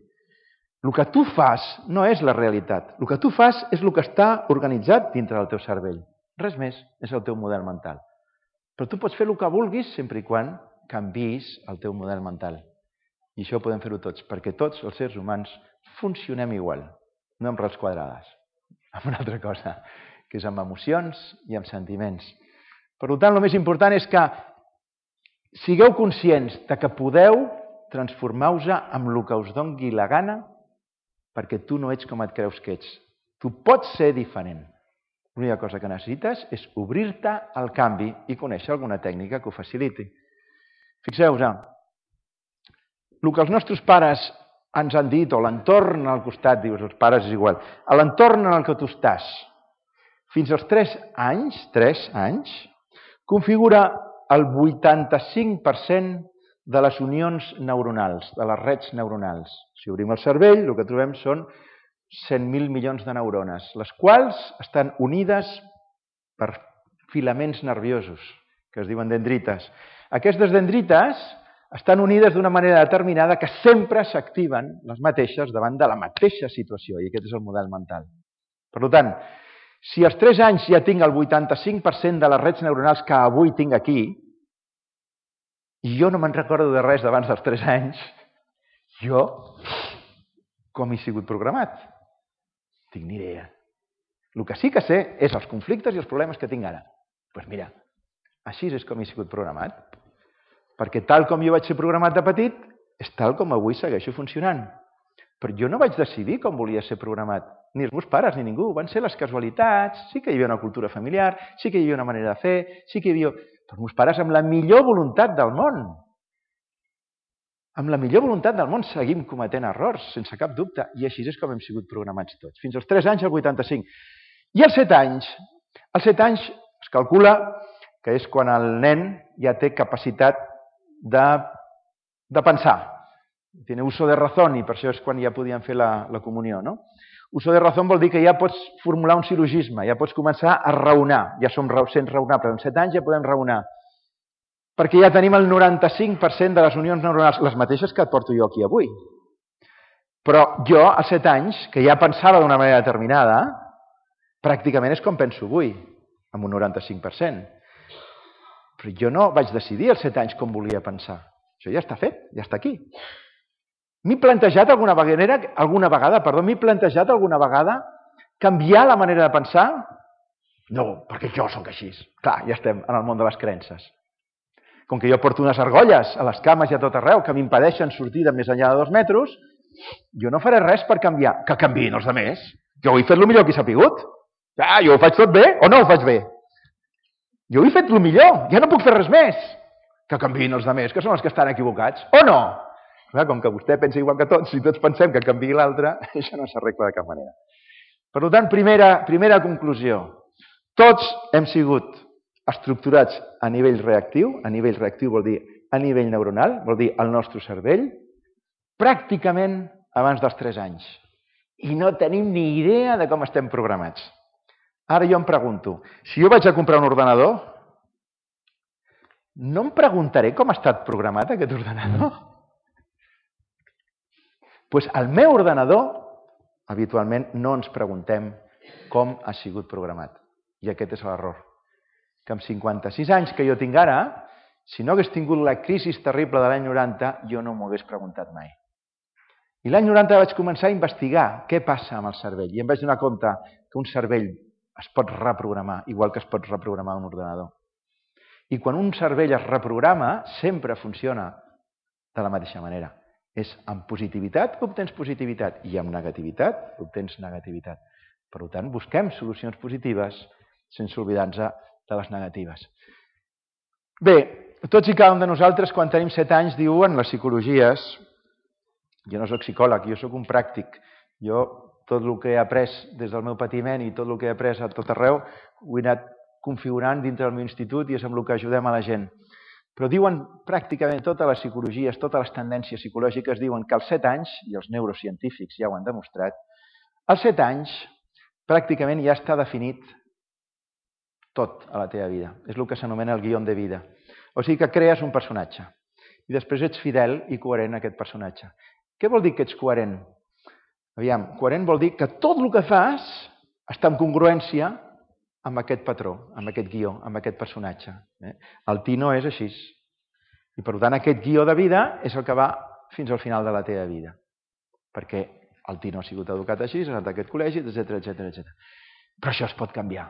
El que tu fas no és la realitat. El que tu fas és el que està organitzat dintre del teu cervell. Res més, és el teu model mental. Però tu pots fer el que vulguis sempre i quan canviïs el teu model mental. I això podem fer-ho tots, perquè tots els éssers humans funcionem igual, no amb rels quadrades, amb una altra cosa, que és amb emocions i amb sentiments. Per tant, el més important és que sigueu conscients de que podeu transformar-vos amb el que us doni la gana, perquè tu no ets com et creus que ets. Tu pots ser diferent. L'única cosa que necessites és obrir-te al canvi i conèixer alguna tècnica que ho faciliti. Fixeu-vos, el que els nostres pares ens han dit, o l'entorn al costat, dius, els pares és igual, a l'entorn en el que tu estàs, fins als 3 anys, configura el 85% de les unions neuronals, de les rets neuronals. Si obrim el cervell, el que trobem són 100.000 milions de neurones, les quals estan unides per filaments nerviosos, que es diuen dendrites. Aquestes dendrites estan unides d'una manera determinada que sempre s'activen les mateixes davant de la mateixa situació, i aquest és el model mental. Per tant, si als 3 anys ja tinc el 85% de les rets neuronals que avui tinc aquí, i jo no me'n recordo de res d'abans dels 3 anys, jo com he sigut programat? Tinc ni idea. El que sí que sé és els conflictes i els problemes que tinc ara. Doncs mira, així és com he sigut programat. Perquè tal com jo vaig ser programat de petit, és tal com avui segueixo funcionant. Però jo no vaig decidir com volia ser programat. Ni els meus pares ni ningú. Van ser les casualitats. Sí que hi havia una cultura familiar, sí que hi havia una manera de fer, sí que hi havia... Però els meus pares amb la millor voluntat del món. Amb la millor voluntat del món seguim cometent errors, sense cap dubte. I així és com hem sigut programats tots. Fins als 3 anys, el 85. I als 7 anys? Als 7 anys es calcula que és quan el nen ja té capacitat de pensar. Tiene uso de razón, i per això és quan ja podien fer la comunió, no? Uso de razón vol dir que ja pots formular un silogisme, ja pots començar a raonar, ja som sent raonables. Amb 7 anys ja podem raonar, perquè ja tenim el 95% de les unions neuronals, les mateixes que et porto jo aquí avui. Però jo, als 7 anys, que ja pensava d'una manera determinada, pràcticament és com penso avui, amb un 95%. Però jo no vaig decidir als 7 anys com volia pensar. Això ja està fet, ja està aquí. M'he plantejat alguna vegada canviar la manera de pensar? No, perquè jo sóc així. Clar, ja estem en el món de les creences. Com que jo porto unes argolles a les cames i a tot arreu que m'impedeixen sortir de més enllà de 2 metres, jo no faré res per canviar. Que canviïn els altres. Jo ho he fet el millor que he sapigut. Jo ho faig tot bé o no ho faig bé? Jo ho he fet el millor, ja no puc fer res més. Que canviïn els altres, que són els que estan equivocats. O no? Com que vostè pensa igual que tots, si tots pensem que canviï l'altre, això no s'arregla de cap manera. Per tant, primera conclusió. Tots hem sigut estructurats a nivell reactiu vol dir a nivell neuronal, vol dir el nostre cervell, pràcticament abans dels 3 anys. I no tenim ni idea de com estem programats. Ara jo em pregunto, si jo vaig a comprar un ordenador, no em preguntaré com ha estat programat aquest ordenador? Doncs al meu ordenador, habitualment, no ens preguntem com ha sigut programat. I aquest és l'error. Que amb 56 anys que jo tinc ara, si no hagués tingut la crisi terrible de l'any 90, jo no m'ho hagués preguntat mai. I l'any 90 vaig començar a investigar què passa amb el cervell. I em vaig donar compte que un cervell es pot reprogramar, igual que es pot reprogramar un ordenador. I quan un cervell es reprograma, sempre funciona de la mateixa manera. És amb positivitat obtens positivitat i amb negativitat obtens negativitat. Per tant, busquem solucions positives sense oblidar-nos de les negatives. Bé, tots i cada un de nosaltres, quan tenim 7 anys, diuen les psicologies, jo no soc psicòleg, jo soc un pràctic, jo tot el que he après des del meu patiment i tot el que he après a tot arreu ho he anat configurant dintre del meu institut i és amb el que ajudem a la gent. Però diuen pràcticament totes les psicologies, totes les tendències psicològiques diuen que als 7 anys, i els neurocientífics ja ho han demostrat, als 7 anys pràcticament ja està definit tot a la teva vida. És el que s'anomena el guió de vida. O sigui que crees un personatge. i després ets fidel i coherent a aquest personatge. Què vol dir que ets coherent? Aviam, coherent vol dir que tot el que fas està en congruència amb aquest patró, amb aquest guió, amb aquest personatge. El Tino és així. I per tant aquest guió de vida és el que va fins al final de la teva vida. Perquè el Tino ha sigut educat així, ha anat a aquest col·legi, etc. Però això es pot canviar.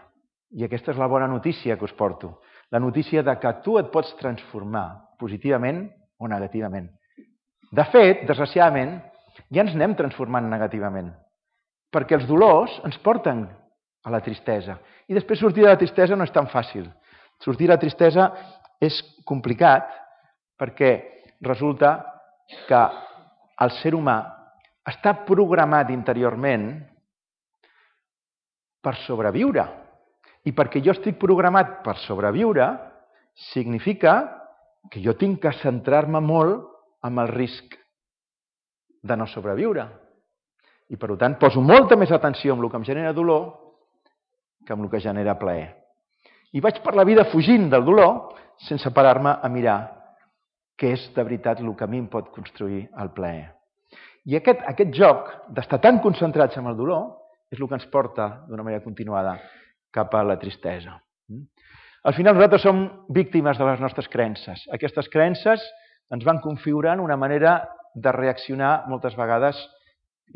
I aquesta és la bona notícia que us porto. La notícia de que tu et pots transformar positivament o negativament. De fet, desgraciadament, ja ens anem transformant negativament. Perquè els dolors ens porten a la tristesa. I després sortir de la tristesa no és tan fàcil. Sortir de la tristesa és complicat perquè resulta que el ser humà està programat interiorment per sobreviure. I perquè jo estic programat per sobreviure, significa que jo tinc que centrar-me molt en el risc de no sobreviure. I per tant poso molta més atenció en el que em genera dolor que en el que genera plaer. I vaig per la vida fugint del dolor sense parar-me a mirar què és de veritat el que a mi em pot construir el plaer. I aquest joc d'estar tan concentrats en el dolor és el que ens porta d'una manera continuada cap a la tristesa. Al final nosaltres som víctimes de les nostres creences. Aquestes creences ens van configurant una manera de reaccionar moltes vegades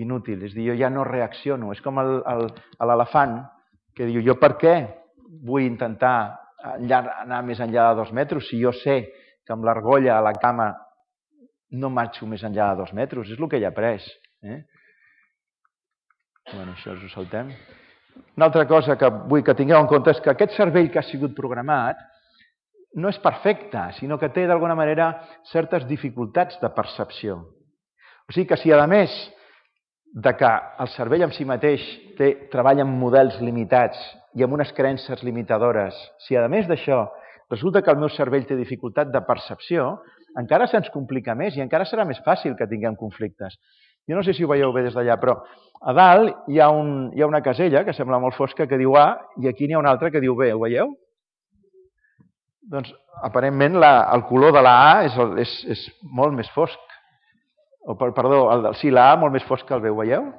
inútil. És a dir, jo ja no reacciono. És com l'elefant que diu, jo per què vull intentar anar més enllà de 2 metres si jo sé que amb l'argolla a la cama no marxo més enllà de 2 metres? És el que ell ha après. Bueno, això us ho saltem. Una altra cosa que vull que tingueu en compte és que aquest cervell que ha sigut programat no és perfecte, sinó que té d'alguna manera certes dificultats de percepció. O sigui que si a més de que el cervell en si mateix treballa amb models limitats i amb unes creences limitadores, si a més d'això resulta que el meu cervell té dificultat de percepció, encara se'ns complica més i encara serà més fàcil que tinguem conflictes. Jo no sé si ho veieu bé des d'allà, però a dalt hi ha una casella que sembla molt fosca que diu A i aquí n'hi ha una altra que diu B. Ho veieu? Doncs aparentment el color de la A és molt més fosc. Perdó, la A molt més fosc que el B. Ho veieu?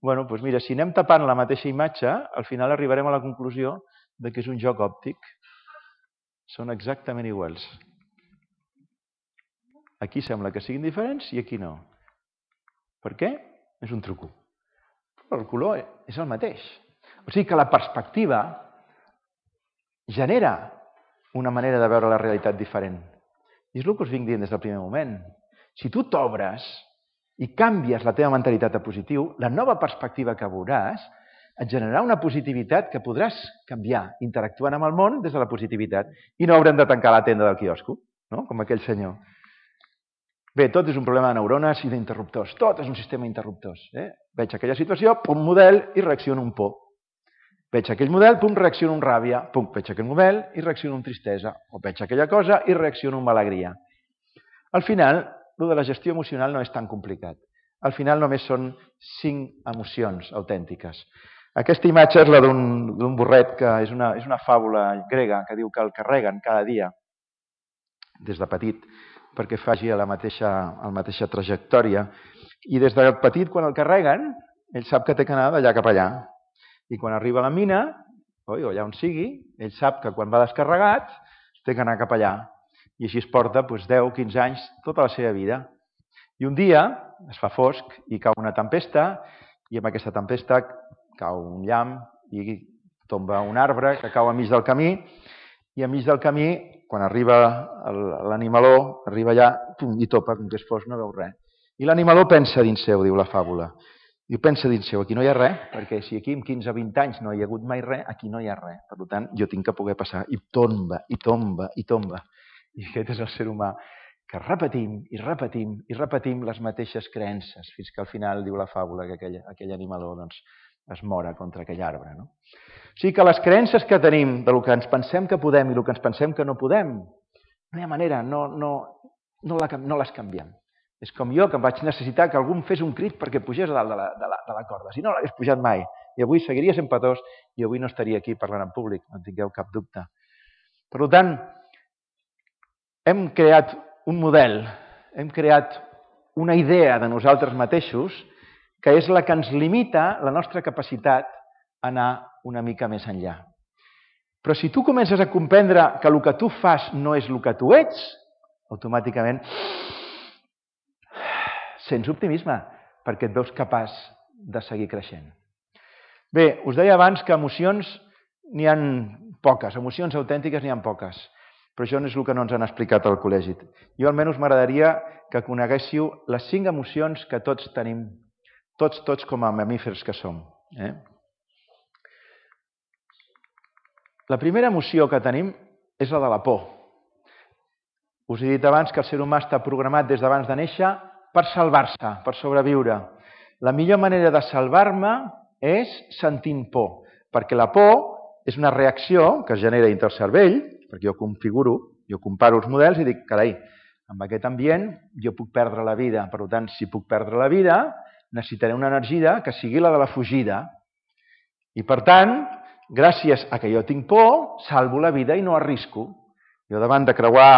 Bueno, doncs mira, si anem tapant la mateixa imatge, al final arribarem a la conclusió que és un joc òptic. Són exactament iguals. Aquí sembla que siguin diferents i aquí no. Per què? És un truco. Però el color és el mateix. O sigui que la perspectiva genera una manera de veure la realitat diferent. I és el que us vinc dient des del primer moment. Si tu t'obres i canvies la teva mentalitat a positiu, la nova perspectiva que veuràs et generarà una positivitat que podràs canviar interactuant amb el món des de la positivitat. I no haurem de tancar la tenda del quiosco, no? Com aquell senyor. Bé, tot és un problema de neurones i d'interruptors. Tot és un sistema d'interruptors. Veig aquella situació, pum, model, i reacciono amb por. Veig aquell model, pum, reacciono amb ràbia. Pum, veig aquell model i reacciono amb tristesa. O veig aquella cosa i reacciono amb alegria. Al final, el de la gestió emocional no és tan complicat. Al final només són 5 emocions autèntiques. Aquesta imatge és la d'un burret que és una fàbula grega que diu que el carreguen cada dia, des de petit, perquè faci la mateixa trajectòria. I des de petit, quan el carreguen, ell sap que té que anar d'allà cap allà. I quan arriba a la mina, o allà on sigui, ell sap que quan va descarregat, té que anar cap allà. I així es porta 10-15 anys, tota la seva vida. I un dia es fa fosc i cau una tempesta, i amb aquesta tempesta cau un llamp i tomba un arbre que cau enmig del camí, i enmig del camí, quan arriba l'animaló, arriba allà i topa, com que és fosc, no veu res. I l'animaló pensa dins seu, diu la fàbula. Diu, pensa dins seu, aquí no hi ha res, perquè si aquí en 15 o 20 anys no hi ha hagut mai res, aquí no hi ha res. Per tant, jo tinc que poder passar. I tomba, i tomba, i tomba. I aquest és el ser humà, que repetim i repetim i repetim les mateixes creences, fins que al final, diu la fàbula, que aquell animaló es mora contra aquell arbre. O sigui que les creences que tenim del que ens pensem que podem i el que ens pensem que no podem, no hi ha manera, no les canviem. És com jo, que vaig necessitar que algú em fes un crit perquè pugés a dalt de la corda. Si no l'hagués pujat mai. I avui seguiria sent petós i avui no estaria aquí parlant en públic, no en tingueu cap dubte. Per tant, hem creat un model, hem creat una idea de nosaltres mateixos que és la que ens limita la nostra capacitat a anar una mica més enllà. Però si tu comences a comprendre que el que tu fas no és el que tu ets, automàticament sents optimisme perquè et veus capaç de seguir creixent. Bé, us deia abans que emocions n'hi ha poques, emocions autèntiques n'hi ha poques, però això no és el que no ens han explicat al col·legi. Jo almenys m'agradaria que coneguéssiu les 5 emocions que tots tenim, tots com a mamífers que som. La primera emoció que tenim és la de la por. Us he dit abans que el ser humà està programat des d'abans de néixer per salvar-se, per sobreviure. La millor manera de salvar-me és sentint por, perquè la por és una reacció que es genera dintre el cervell, perquè jo configuro, jo comparo els models i dic, carai, amb aquest ambient jo puc perdre la vida. Per tant, si puc perdre la vida, necessitaré una energia que sigui la de la fugida. I per tant, gràcies a que jo tinc por, salvo la vida i no arrisco. Jo davant de creuar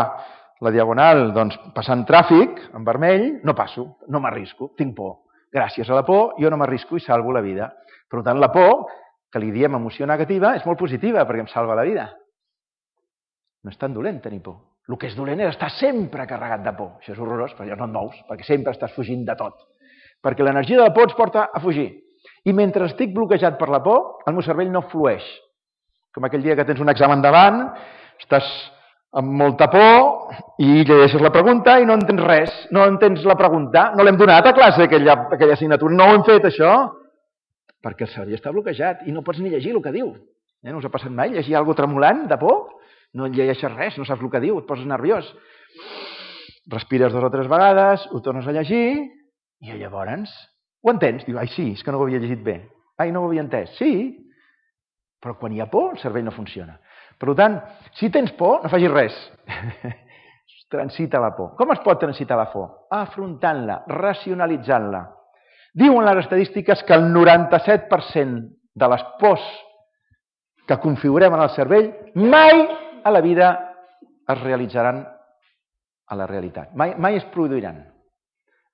la diagonal, doncs, passant tràfic en vermell, no passo, no m'arrisco, tinc por. Gràcies a la por, jo no m'arrisco i salvo la vida. Per tant, la por, que li diem emoció negativa, és molt positiva perquè em salva la vida. No és tan dolent tenir por. El que és dolent és estar sempre carregat de por. Això és horrorós, perquè no et mous, perquè sempre estàs fugint de tot. Perquè l'energia de la por ens porta a fugir. I mentre estic bloquejat per la por, el meu cervell no flueix. Com aquell dia que tens un examen davant, estàs amb molta por i llegeixes la pregunta i no entens res, no entens la pregunta, no l'hem donat a classe aquella assignatura, no ho hem fet això, perquè el cervell està bloquejat i no pots ni llegir el que diu. No us ha passat mai llegir alguna cosa tremolant de por? No llegeixes res, no saps el que diu, et poses nerviós. Respires 2 o 3 vegades, ho tornes a llegir i llavors ho entens. Diu, ai sí, és que no ho havia llegit bé. Ai, no ho havia entès. Sí, però quan hi ha por el cervell no funciona. Per tant, si tens por, no facis res. Transita la por. Com es pot transitar la por? Afrontant-la, racionalitzant-la. Diuen les estadístiques que el 97% de les pors que configurem en el cervell mai a la vida es realitzaran a la realitat. Mai es produiran.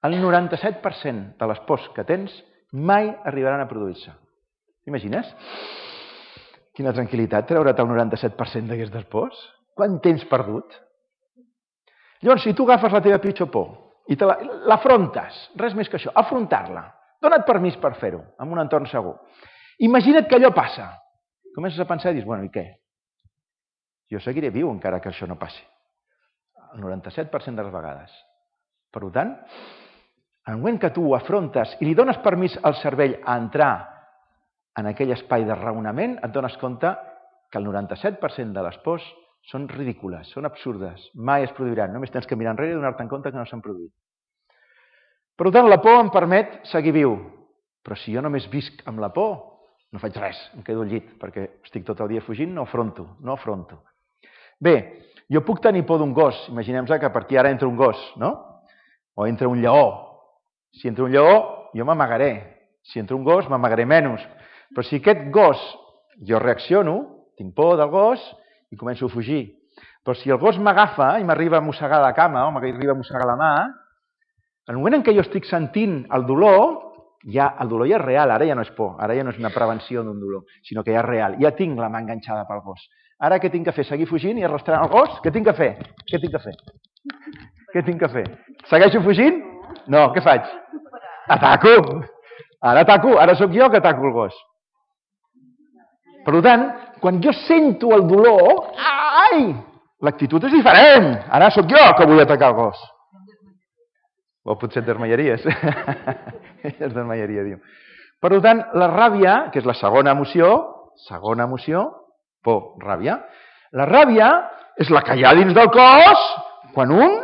El 97% de les pors que tens mai arribaran a produir-se. T'imagines? Quina tranquil·litat treure't el 97% d'aquestes pors. Quant temps perdut? Llavors, si tu agafes la teva pitjor por i l'afrontes, res més que això, afrontar-la, dona't permís per fer-ho, en un entorn segur. Imagina't que allò passa. Comences a pensar i dius, bueno, i què? Jo seguiré viu encara que això no passi. El 97% de les vegades. Per tant, en el moment que tu ho afrontes i li dones permís al cervell a entrar en aquell espai de raonament, et dones compte que el 97% de les pors són ridícules, són absurdes, mai es produiran. Només tens que mirar enrere i donar-te compte que no s'han produït. Per tant, la por em permet seguir viu. Però si jo només visc amb la por, no faig res, em quedo al llit, perquè estic tot el dia fugint, no afronto. Bé, jo puc tenir por d'un gos. Imaginem-nos que a partir d'ara entra un gos, no? O entra un lleó. Si entra un lleó, jo m'amagaré. Si entra un gos, m'amagaré menys. Però si aquest gos, jo reacciono, tinc por del gos i començo a fugir. Però si el gos m'agafa i m'arriba a mossegar la cama o m'arriba a mossegar la mà, en el moment en què jo estic sentint el dolor ja és real, ara ja no és por, ara ja no és una prevenció d'un dolor, sinó que ja és real. Ja tinc la mà enganxada pel gos. Ara què tinc que fer? Seguir fugint i arrastrant el gos? Què tinc que fer? Què tinc que fer? Segueixo fugint? No, què faig? Ataco! Ara sóc jo que ataco el gos. Per tant, quan jo sento el dolor, l'actitud és diferent. Ara sóc jo que vull atacar el gos. O potser et desmaiaries. Es desmaiaria, diu. Per tant, la ràbia, que és la segona emoció, por, ràbia. La ràbia és la que hi ha dins del cos quan un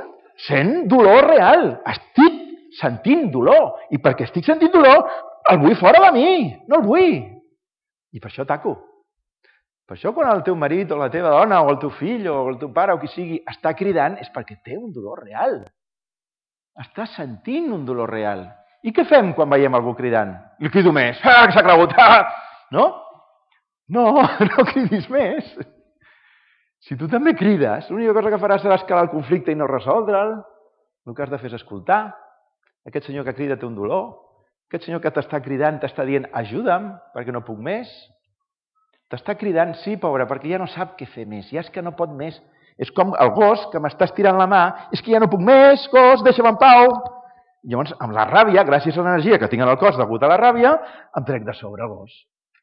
sent dolor real. Estic sentint dolor. I perquè estic sentint dolor, el vull fora de mi. No el vull. I per això ataco. Per això quan el teu marit o la teva dona o el teu fill o el teu pare o qui sigui està cridant és perquè té un dolor real. Està sentint un dolor real. I què fem quan veiem algú cridant? Li crido més. Que s'ha cregut. No? No cridis més. Si tu també crides, l'única cosa que faràs serà escalar el conflicte i no resoldre'l. El que has de fer és escoltar. Aquest senyor que crida té un dolor. Aquest senyor que t'està cridant t'està dient ajuda'm perquè no puc més. T'està cridant, sí, pobre, perquè ja no sap què fer més. Ja és que no pot més. És com el gos que m'està estirant la mà. És que ja no puc més, gos, deixa'm en pau. Llavors, amb la ràbia, gràcies a l'energia que tinc en el cos degut a la ràbia, em trec de sobre el gos.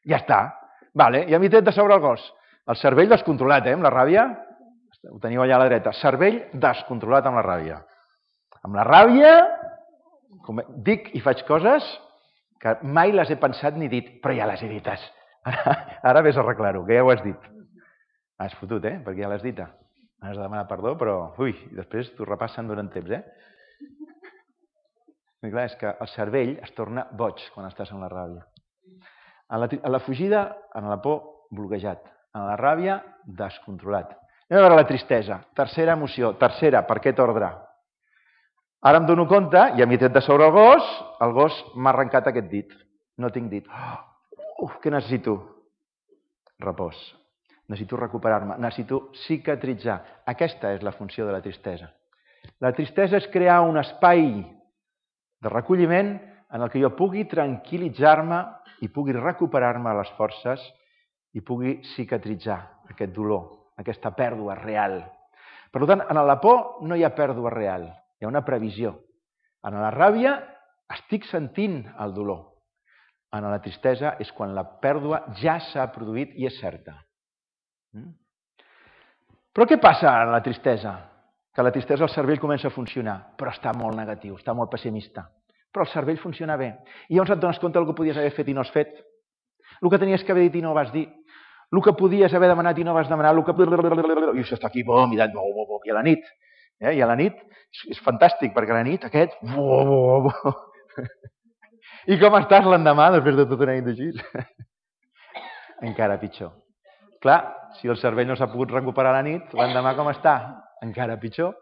Ja està. Vale, ja m'hi tret de sobre el gos. El cervell descontrolat, amb la ràbia. Ho teniu allà a la dreta. Cervell descontrolat amb la ràbia. Amb la ràbia, dic i faig coses que mai les he pensat ni dit, però ja les he dites. Ara vés a arreglar-ho, que ja ho has dit. Has fotut, perquè ja l'has dita. Has de demanar perdó, però... Ui, després t'ho repassen durant temps, I clar, és que el cervell es torna boig quan estàs en la ràbia. A la fugida, en la por, bloquejat. En la ràbia, descontrolat. Anem a veure la tristesa. Tercera emoció. Tercera, per aquest ordre. Ara em dono compte, ja m'he tret de sobre el gos m'ha arrencat aquest dit. No tinc dit. Què necessito? Repòs. Necessito recuperar-me. Necessito cicatritzar. Aquesta és la funció de la tristesa. La tristesa és crear un espai de recolliment en el que jo pugui tranquil·litzar-me i pugui recuperar-me les forces i pugui cicatritzar aquest dolor, aquesta pèrdua real. Per tant, en la por no hi ha pèrdua real, hi ha una previsió. En la ràbia estic sentint el dolor. En la tristesa és quan la pèrdua ja s'ha produït i és certa. Però què passa en la tristesa? Que la tristesa el cervell comença a funcionar, però està molt negatiu, està molt pessimista. Però el cervell funciona bé. I llavors et dones compte del que podies haver fet i no has fet. El que tenies que haver dit i no vas dir. El que podies haver demanat i no vas demanar. I això està aquí, mirant, i a la nit. I a la nit és fantàstic, perquè a la nit aquest... I com estàs l'endemà, després de tota una nit així? Encara pitjor. Clar, si el cervell no s'ha pogut recuperar a la nit, l'endemà com està? Encara pitjor.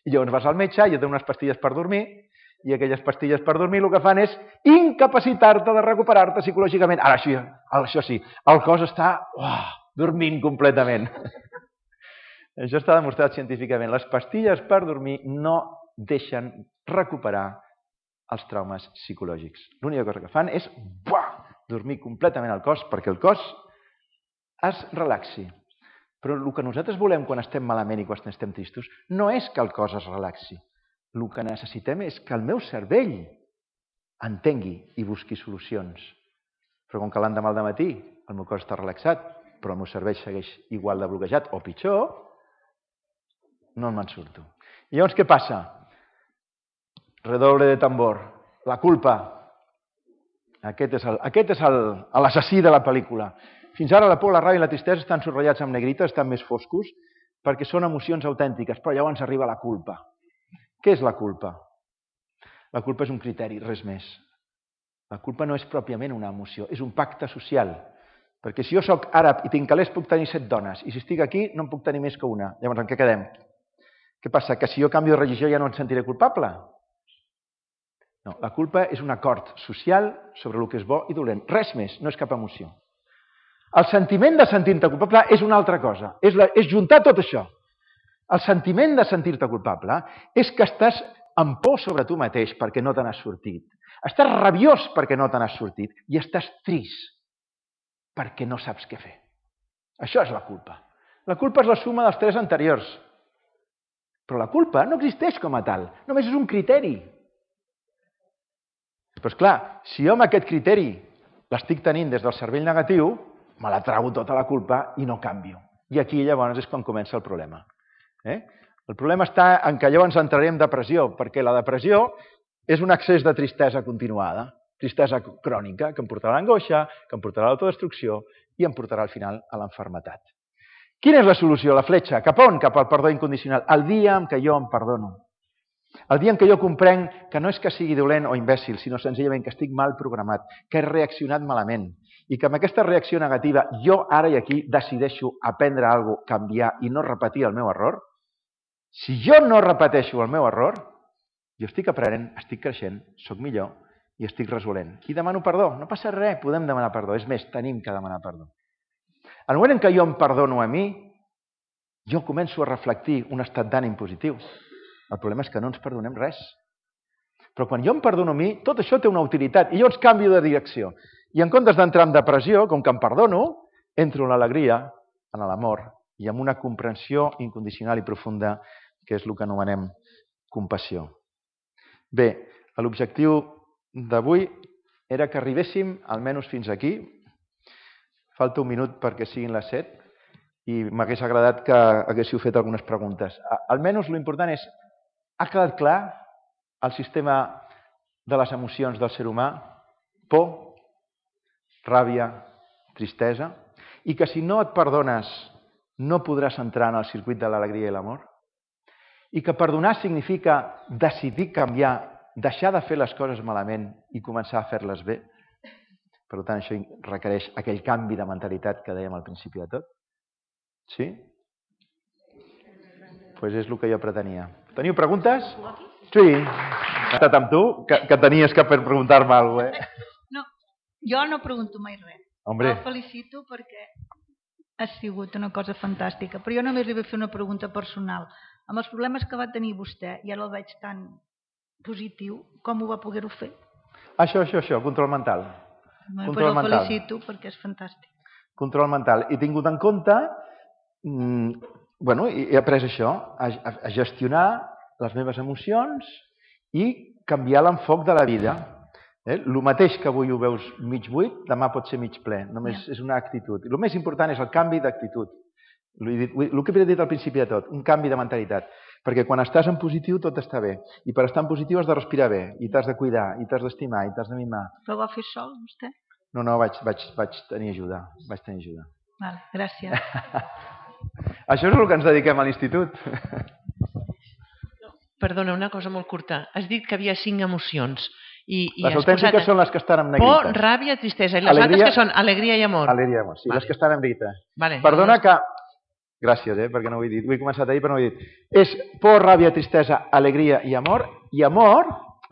I llavors vas al metge i et donen unes pastilles per dormir i aquelles pastilles per dormir el que fan és incapacitar-te de recuperar-te psicològicament. Ara, això sí, el cos està dormint completament. Això està demostrat científicament. Les pastilles per dormir no deixen recuperar els traumes psicològics. L'única cosa que fan és dormir completament el cos perquè el cos es relaxi. Però el que nosaltres volem quan estem malament i quan estem tristos no és que el cos es relaxi. El que necessitem és que el meu cervell entengui i busqui solucions. Però com que l'endemà al matí el meu cos està relaxat, però el meu cervell segueix igual de bloquejat o pitjor, no me'n surto. I llavors què passa? Redoble de tambor. La culpa. Aquest és l'assassí de la pel·lícula. Fins ara la por, la ràbia i la tristesa estan subratllats amb negrita, estan més foscos, perquè són emocions autèntiques, però llavors arriba la culpa. Què és la culpa? La culpa és un criteri, res més. La culpa no és pròpiament una emoció, és un pacte social. Perquè si jo soc àrab i tinc calés puc tenir 7 dones, i si estic aquí no en puc tenir més que una. Llavors en què quedem? Què passa? Que si jo canvio de religió ja no em sentiré culpable? No, la culpa és un acord social sobre el que és bo i dolent. Res més, no és cap emoció. El sentiment de sentir-te culpable és una altra cosa. És juntar tot això. El sentiment de sentir-te culpable és que estàs amb por sobre tu mateix perquè no te n'has sortit. Estàs rabiós perquè no te n'has sortit i estàs trist perquè no saps què fer. Això és la culpa. La culpa és la suma dels 3 anteriors. Però la culpa no existeix com a tal. Només és un criteri. Però esclar, si jo amb aquest criteri l'estic tenint des del cervell negatiu, me la trago tota la culpa i no canvio. I aquí llavors és quan comença el problema. El problema està en que llavors entrarem en depressió, perquè la depressió és un excés de tristesa continuada, tristesa crònica, que em portarà a l'angoixa, que em portarà a l'autodestrucció i em portarà al final a l'enfermetat. Quina és la solució? La fletxa. Cap on? Cap al perdó incondicional. El dia en què jo em perdono. El dia en què jo comprenc que no és que sigui dolent o imbècil, sinó senzillament que estic mal programat, que he reaccionat malament, i que amb aquesta reacció negativa jo ara i aquí decideixo aprendre alguna cosa, canviar i no repetir el meu error, si jo no repeteixo el meu error, jo estic aprenent, estic creixent, soc millor i estic resolent. I demano perdó. No passa res, podem demanar perdó. És més, tenim que demanar perdó. En el moment en què jo em perdono a mi, jo començo a reflectir un estat d'ànim positiu. El problema és que no ens perdonem res. Però quan jo em perdono a mi, tot això té una utilitat i llavors canvio de direcció. I en comptes d'entrar en depressió, com que em perdono, entro en l'alegria, en l'amor i en una comprensió incondicional i profunda, que és el que anomenem compassió. Bé, l'objectiu d'avui era que arribéssim almenys fins aquí. Falta un minut perquè siguin les 7 i m'hagués agradat que haguéssiu fet algunes preguntes. Almenys l'important és, ha quedat clar el sistema de les emocions del ser humà? Por, ràbia, tristesa, i que si no et perdones no podràs entrar en el circuit de l'alegria i l'amor? I que perdonar significa decidir canviar, deixar de fer les coses malament i començar a fer-les bé? Per tant, això requereix aquell canvi de mentalitat que dèiem al principi de tot. Sí? Doncs és el que jo pretenia. Teniu preguntes? Sí. He estat amb tu, que tenies que preguntar-me alguna cosa, No, jo no pregunto mai res. Hombre. El felicito perquè ha sigut una cosa fantàstica. Però jo només li vull fer una pregunta personal. Amb els problemes que va tenir vostè, i ara el veig tan positiu, com ho va poder-ho fer? Això, control mental. Doncs el felicito perquè és fantàstic. Control mental. He tingut en compte, he après això, a gestionar les meves emocions i canviar l'enfoc de la vida. El mateix que avui ho veus mig buit, demà pot ser mig ple. Només és una actitud. El més important és el canvi d'actitud. El que he dit al principi de tot, un canvi de mentalitat. Perquè quan estàs en positiu tot està bé. I per estar en positiu has de respirar bé, i t'has de cuidar, i t'has d'estimar, i t'has de mimar. Però ho va fer sol, vostè? No, vaig tenir ajuda. Vale, gràcies. Això és el que ens dediquem a l'institut. Perdona, una cosa molt curta. Has dit que havia 5 emocions. Les autèntiques són les que estan en negrites. Por, ràbia, tristesa. I les altres que són alegria i amor. Alegria i amor, sí, les que estan en negrites. Vale. Perdona que... Gràcies, perquè no ho he dit. Ho he començat a dir, però no ho he dit. És por, ràbia, tristesa, alegria i amor. I amor,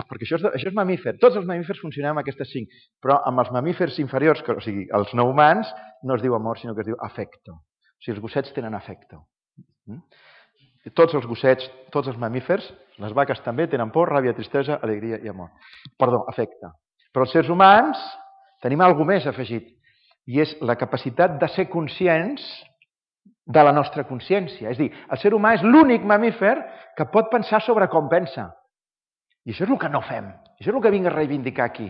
perquè això és mamífer. Tots els mamífers funcionem amb aquestes 5. Però amb els mamífers inferiors, o sigui, els no humans, no es diu amor, sinó que es diu afecto. O sigui, els gossets tenen afecto. Tots els gossets, tots els mamífers, les vaques també tenen por, ràbia, tristesa, alegria i amor. Perdó, afecte. Però els sérs humans tenim alguna més afegit. I és la capacitat de ser conscients de la nostra consciència. És a dir, el ser humà és l'únic mamífer que pot pensar sobre com pensa. I això és el que no fem. Això és el que vinc a reivindicar aquí.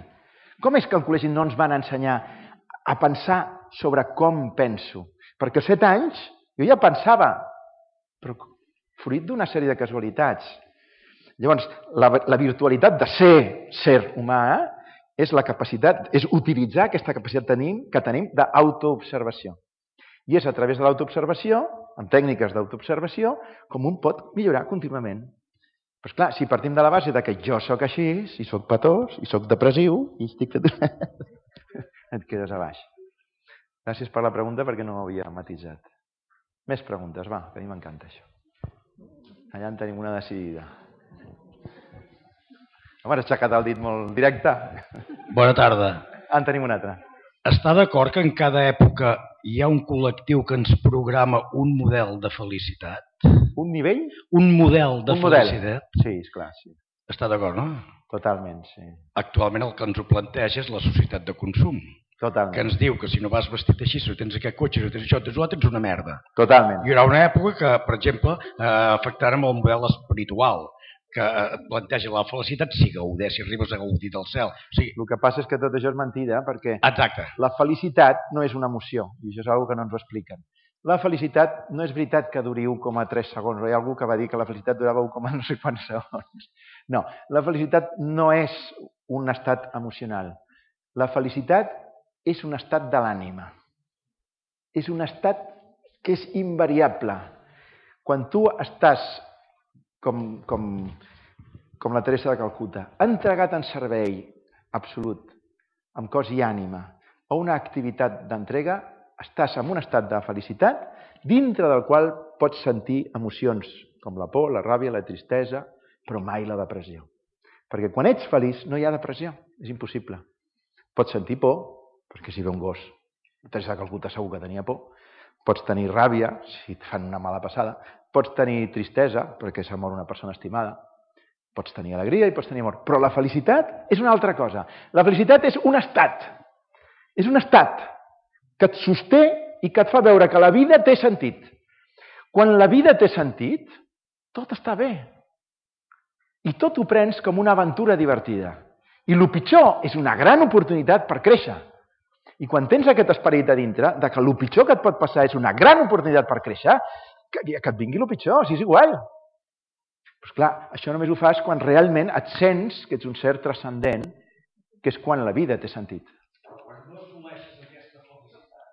Com és que al col·legi no ens van ensenyar a pensar sobre com penso? Perquè als 7 anys jo ja pensava, però fruit d'una sèrie de casualitats. Llavors, la virtualitat de ser humà és la capacitat, és utilitzar aquesta capacitat que tenim d'autoobservació. I és a través de l'autoobservació, amb tècniques d'autoobservació, com un pot millorar contínuament. Però esclar, si partim de la base que jo sóc així, i sóc petós, i sóc depressiu, i estic... et quedes a baix. Gràcies per la pregunta perquè no ho havia matisat. Més preguntes, va, que a mi m'encanta això. Allà en tenim una decidida. Home, has aixecat el dit molt directe. Bona tarda. En tenim una altra. Està d'acord que en cada època hi ha un col·lectiu que ens programa un model de felicitat? Un nivell? Un model de felicitat? Sí, esclar, sí. Està d'acord, no? Totalment, sí. Actualment el que ens ho planteja és la societat de consum. Totalment. Que ens diu que si no vas vestit així, si no tens aquest cotxe, si no tens això, tens una merda. Totalment. Hi haurà una època que, per exemple, afectarà amb el model espiritual, que et planteja la felicitat si gaudir, si arribes a gaudir del cel. O sigui, el que passa és que tot això és mentida, perquè exacte. La felicitat no és una emoció, i això és una cosa que no ens ho expliquen. La felicitat no és veritat que duri 1,3 segons, hi ha algú que va dir que la felicitat durava 1, no sé quants segons. No, la felicitat no és un estat emocional. La felicitat és un estat de l'ànima. És un estat que és invariable. Quan tu estàs com la Teresa de Calcuta, entregat en servei absolut, amb cos i ànima, a una activitat d'entrega, estàs en un estat de felicitat, dintre del qual pots sentir emocions com la por, la ràbia, la tristesa, però mai la depressió. Perquè quan ets feliç no hi ha depressió, és impossible. Pots sentir por, perquè si ve un gos, Teresa de Calcuta segur que tenia por, Pots tenir ràbia, si et fan una mala passada. Pots tenir tristesa, perquè s'ha mort una persona estimada. Pots tenir alegria i pots tenir amor. Però la felicitat és una altra cosa. La felicitat és un estat. És un estat que et sosté i que et fa veure que la vida té sentit. Quan la vida té sentit, tot està bé. I tot ho prens com una aventura divertida. I el pitjor és una gran oportunitat per créixer. I quan tens aquest esperit a dintre, que el pitjor que et pot passar és una gran oportunitat per créixer, que et vingui el pitjor, si és igual. Però clar, això només ho fas quan realment et sents que ets un ser transcendent, que és quan la vida té sentit. Quan no assoleixes aquesta felicitat,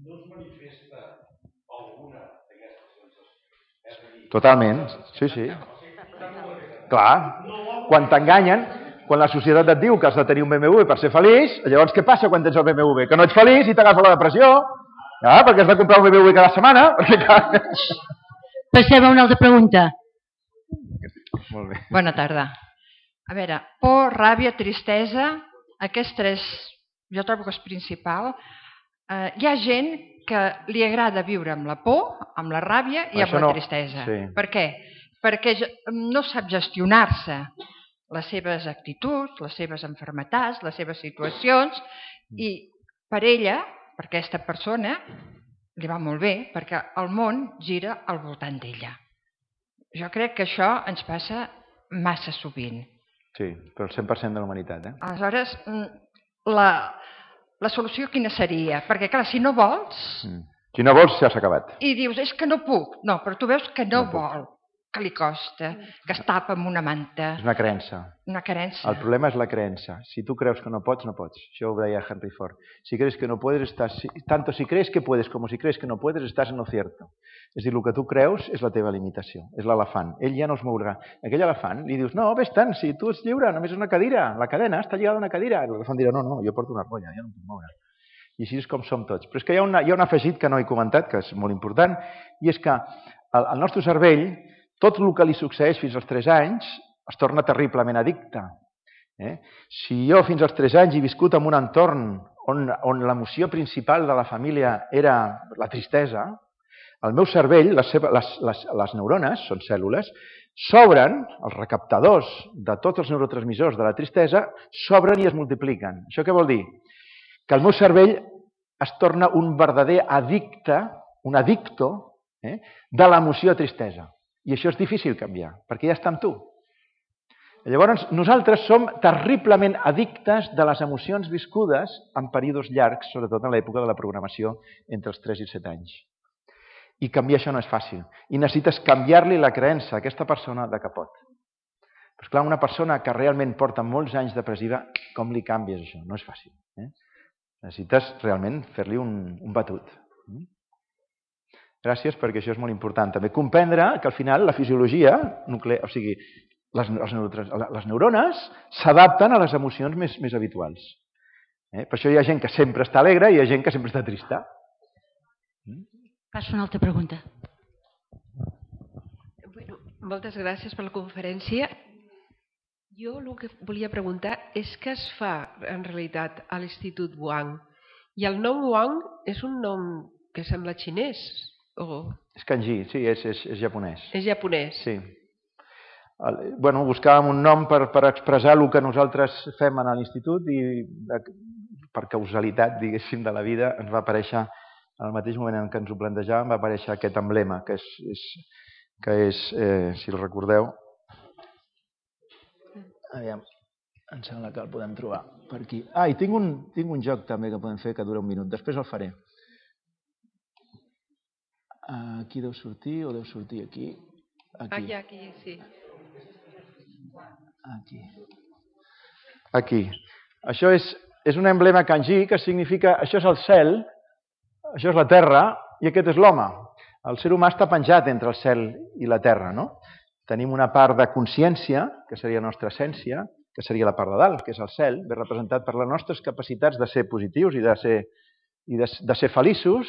no es manifesta alguna d'aquestes sensacions? Totalment, sí. Clar, quan t'enganyen, quan la societat et diu que has de tenir un BMW per ser feliç, llavors què passa quan tens el BMW? Que no ets feliç i t'agafa la depressió, perquè has de comprar un BMW cada setmana. Passem a una altra pregunta. Molt bé. Bona tarda. A veure, por, ràbia, tristesa, aquests tres, jo trobo que és principal. Hi ha gent que li agrada viure amb la por, amb la ràbia i amb la tristesa. Sí. Per què? Perquè no sap gestionar-se les seves actituds, les seves malalties, les seves situacions, i per ella, per aquesta persona, li va molt bé, perquè el món gira al voltant d'ella. Jo crec que això ens passa massa sovint. Sí, però el 100% de la humanitat. Aleshores, la solució quina seria? Perquè, clar, si no vols... Si no vols, ja s'ha acabat. I dius, és que no puc. No, però tu veus que no vol, que li costa, que es tapa amb una manta. És una creença. Una creença. El problema és la creença. Si tu creus que no pots, no pots. Això ho deia Henry Ford. Si crees que no puedes, tanto si crees que puedes como si crees que no puedes, estás en lo cierto. És a dir, el que tu creus és la teva limitació, és l'elefant. Ell ja no es mourà. Aquell elefant li dius, no, vés-te'n, si tu ets lliure, només és una cadira, la cadena està lligada a una cadira. L'elefant dirà, no, jo porto una rolla, ja no em puc moure. I així és com som tots. Però és que hi ha un afegit que no he comentat, que és molt important, i és que el nostre cervell, tot el que li succeeix fins als 3 anys es torna terriblement addicte. Si jo fins als 3 anys he viscut en un entorn on l'emoció principal de la família era la tristesa, el meu cervell, les neurones, són cèl·lules, s'obren, els recaptadors de tots els neurotransmissors de la tristesa, s'obren i es multipliquen. Això què vol dir? Que el meu cervell es torna un verdader addicte, un addicto, de l'emoció tristesa. I això és difícil canviar, perquè ja està amb tu. Llavors, nosaltres som terriblement addictes de les emocions viscudes en períodes llargs, sobretot en l'època de la programació entre els 3 i 7 anys. I canviar això no és fàcil. I necessites canviar-li la creença a aquesta persona de que pot. Però clar, una persona que realment porta molts anys depressiva, com li canvies això? No és fàcil. Necessites realment fer-li un batut. Gràcies, perquè això és molt important. També comprendre que al final la fisiologia nuclear, o sigui, les neurones s'adapten a les emocions més habituals. Per això hi ha gent que sempre està alegre i hi ha gent que sempre està trista. Passo a una altra pregunta. Bueno, moltes gràcies per la conferència. Jo el que volia preguntar és què es fa en realitat a l'Institut Wang. I el nom Wang és un nom que sembla xinès. És kanji, sí, és japonès. És japonès. Sí. Buscàvem un nom per expressar el que nosaltres fem a l'institut i per causalitat, diguéssim, de la vida ens va aparèixer, al mateix moment en què ens ho plantejàvem, va aparèixer aquest emblema, que és, si el recordeu, aviam, em sembla que el podem trobar per aquí. I tinc un joc també que podem fer que dura 1 minut, després el faré. Aquí deu sortir o deu sortir aquí? Aquí, sí. Aquí. Això és un emblema kanji que significa això és el cel, això és la terra i aquest és l'home. El ser humà està penjat entre el cel i la terra, no? Tenim una part de consciència, que seria la nostra essència, que seria la part de dalt, que és el cel, ben representat per les nostres capacitats de ser positius i de ser feliços,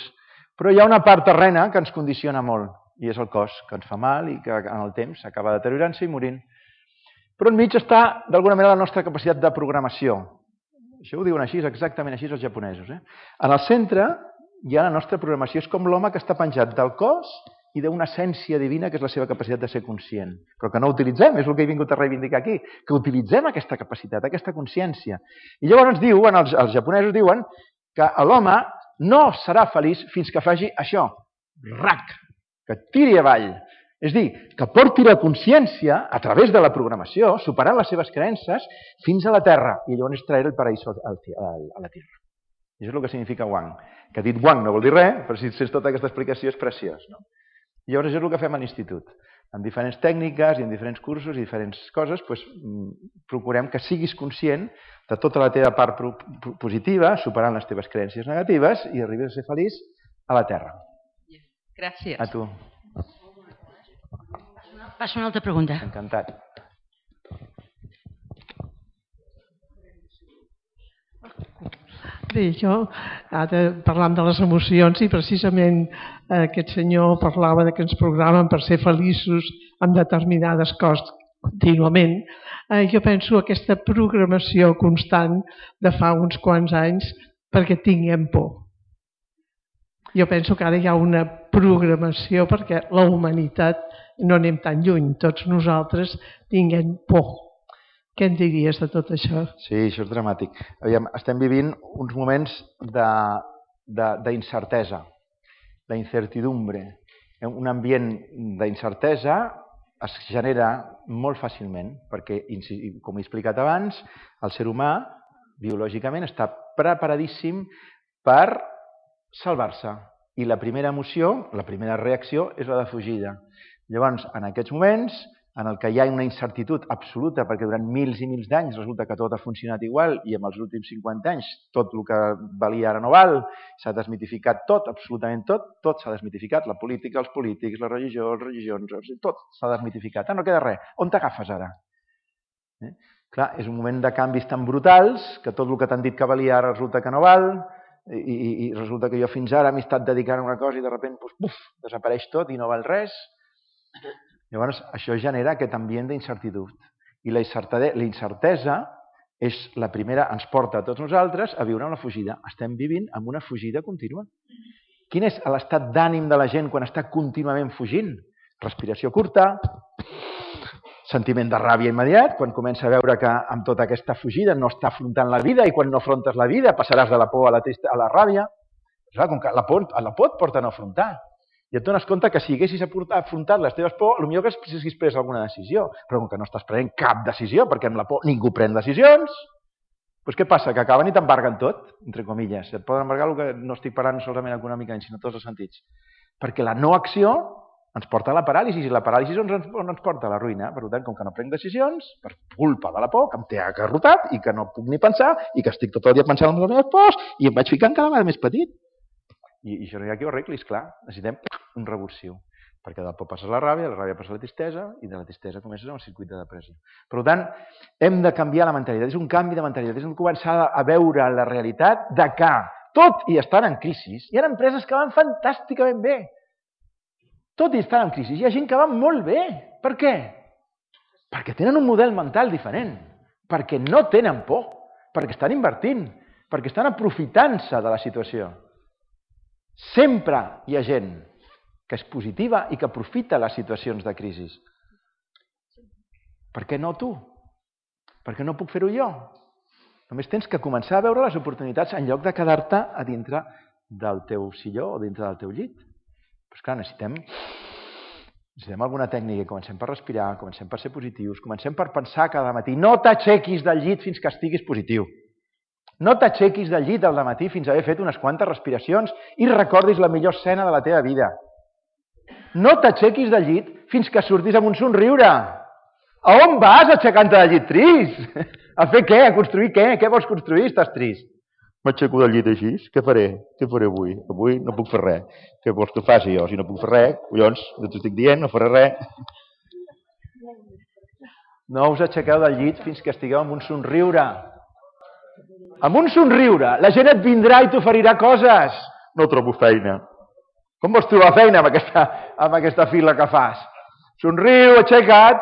però hi ha una part terrena que ens condiciona molt, i és el cos, que ens fa mal i que en el temps acaba deteriorant-se i morint. Però enmig està, d'alguna manera, la nostra capacitat de programació. Això ho diuen així, exactament així els japonesos. En el centre ja la nostra programació és com l'home que està penjat del cos i d'una essència divina que és la seva capacitat de ser conscient, però que no utilitzem, és el que he vingut a reivindicar aquí, que utilitzem aquesta capacitat, aquesta consciència. I llavors diuen, els japonesos diuen que l'home no serà feliç fins que faci això, rac, que tiri avall. És dir, que porti la consciència a través de la programació, superant les seves creences, fins a la Terra, i llavors traure el paraíso a la Terra. I això és el que significa Wang. Que dit Wang no vol dir res, però si sents tota aquesta explicació és preciós. No? I llavors això és el que fem a l'institut. Amb diferents tècniques i en diferents cursos i diferents coses, doncs, procurem que siguis conscient de tota la teva part positiva, superant les teves creences negatives i arribis a ser feliç a la Terra. Gràcies. A tu. Passo una altra pregunta. Encantat. Bé, jo ara parlant de les emocions i precisament aquest senyor parlava que ens programen per ser feliços amb determinades coses contínuament. Jo penso aquesta programació constant de fa uns quants anys perquè tinguem por. Jo penso que ara hi ha una programació perquè la humanitat no anem tan lluny, tots nosaltres tinguem por. Què en diries de tot això? Sí, això és dramàtic. Aviam, estem vivint uns moments d'incertesa, d'incertidumbre. Un ambient d'incertesa es genera molt fàcilment, perquè, com he explicat abans, el ser humà, biològicament, està preparadíssim per salvar-se. I la primera emoció, la primera reacció, és la de fugida. Llavors, en aquests moments, en el que hi ha una incertitud absoluta, perquè durant mils i mils d'anys resulta que tot ha funcionat igual i en els últims 50 anys tot el que valia ara no val, s'ha desmitificat tot, absolutament tot s'ha desmitificat, la política, els polítics, la religió, les religions, tot s'ha desmitificat. No queda res. On t'agafes ara? Clar, és un moment de canvis tan brutals que tot el que t'han dit que valia ara resulta que no val i resulta que jo fins ara m'he estat dedicant a una cosa i de sobte desapareix tot i no val res. Llavors, això genera aquest ambient d'incertitud. I la incertesa és la primera, ens porta a tots nosaltres a viure una fugida. Estem vivint amb una fugida contínua. Quin és l'estat d'ànim de la gent quan està contínuament fugint? Respiració curta, sentiment de ràbia immediat, quan comença a veure que amb tota aquesta fugida no està afrontant la vida i quan no afrontes la vida passaràs de la por a la ràbia. Clar, com que la por et porta a no afrontar. I et dones compte que si haguessis afrontat les teves por, potser que haguessis pres alguna decisió, però com que no estàs prenent cap decisió, perquè amb la por ningú pren decisions, doncs què passa? Que acaben i t'embarguen tot, entre comilles. Et poden embargar el que no estic parlant solament econòmicament, sinó tots els sentits. Perquè la no acció ens porta a la paràlisi, i la paràlisi on ens porta? A la ruïna. Per tant, com que no prenc decisions, per culpa de la por, que em té agarrotat i que no puc ni pensar, i que estic tot el dia pensant en les meves pors, i em vaig ficant cada vegada més petit. I això no hi ha qui ho arregli, esclar. Necessitem un revulsiu. Perquè de la por passes la ràbia passa la tristesa, i de la tristesa comences amb el circuit de depressió. Per tant, hem de canviar la mentalitat. És un canvi de mentalitat. És començar a veure la realitat de que, tot i estan en crisi, hi ha empreses que van fantàsticament bé. Tot i estar en crisi, hi ha gent que va molt bé. Per què? Perquè tenen un model mental diferent. Perquè no tenen por. Perquè estan invertint. Perquè estan aprofitant-se de la situació. Sempre hi ha gent que és positiva i que aprofita les situacions de crisi. Per què no tu? Per què no puc fer-ho jo? Només tens que començar a veure les oportunitats en lloc de quedar-te a dintre del teu silló o dintre del teu llit. Però esclar, necessitem alguna tècnica. Comencem per respirar, comencem per ser positius, comencem per pensar cada matí. No t'aixequis del llit fins que estiguis positiu. No t'aixequis del llit al matí fins a haver fet unes quantes respiracions i recordis la millor escena de la teva vida. No t'aixequis del llit fins que surtis amb un somriure. A on vas aixecant-te del llit trist? A fer què? A construir què? Què vols construir? Estàs trist. M'aixeco del llit així? Què faré? Què faré avui? Avui no puc fer res. Què vols que faci jo? Si no puc fer res, collons, no t'ho estic dient, no faré res. No us aixequeu del llit fins que estigueu amb un somriure. Amb un somriure, la gent et vindrà i t'oferirà coses. No trobo feina. Com vols trobar feina amb aquesta fila que fas? Somriu, aixeca't,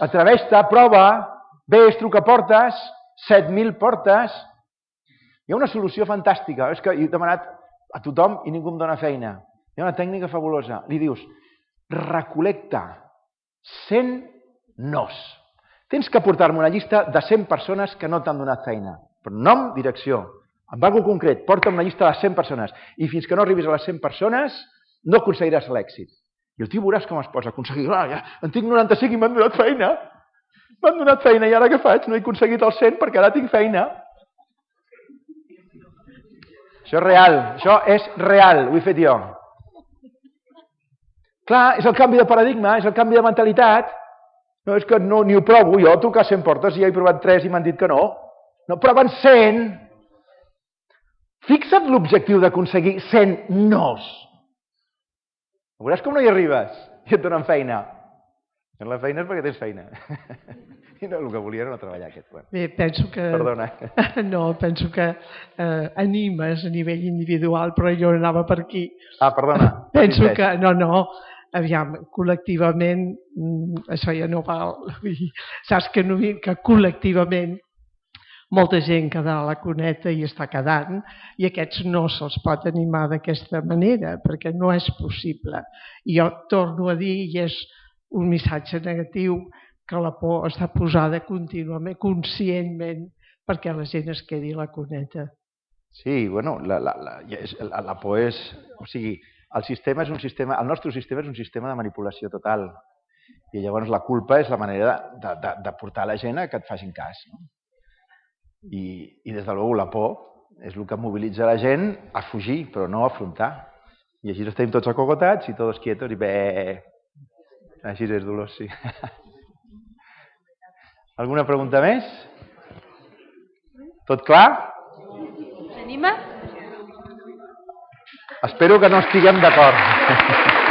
atreveix-te, prova, vés, truca portes, 7.000 portes. Hi ha una solució fantàstica. És que he demanat a tothom i ningú em dona feina. Hi ha una tècnica fabulosa. Li dius, recol·lecta 100 nos. Tens que portar-me una llista de 100 persones que no t'han donat feina. Per nom, direcció. Amb algo concret, porta'm una llista de 100 persones. I fins que no arribis a les 100 persones, no aconseguiràs l'èxit. I el tio veuràs com es posa a aconseguir. Ja, en tinc 95 i m'han donat feina. M'han donat feina i ara què faig? No he aconseguit els 100 perquè ara tinc feina. Això és real, ho he fet jo. Clar, és el canvi de paradigma, és el canvi de mentalitat. No, és que no, ni ho provo, jo trucar 100 portes i ja he provat 3 i m'han dit que no. No, proven 100. Fixa't l'objectiu d'aconseguir 100 nos. Veuràs com no hi arribes i et donen feina. La feina és perquè tens feina. I no, el que volia era no treballar aquest. Bé, penso que... Perdona. No, penso que animes a nivell individual, però jo anava per aquí. Ah, perdona. Penso que... No, aviam, col·lectivament, això ja no val. Saps que col·lectivament molta gent queda a la cuneta i està quedant, i aquests no se'ls pot animar d'aquesta manera, perquè no és possible. I jo torno a dir, i és un missatge negatiu, que la por està posada contínuament, conscientment, perquè la gent es quedi a la cuneta. Sí, bueno, la por és... O sigui, el sistema és un sistema... El nostre sistema és un sistema de manipulació total. I llavors la culpa és la manera de portar la gent a que et facin cas, no? I des de luego la por és el que mobilitza la gent a fugir, però no a afrontar. I així estem tots acogotats i tots quietos i bé... Així és, Dolors, sí. Alguna pregunta més? Tot clar? S'anima? Espero que no estiguem d'acord.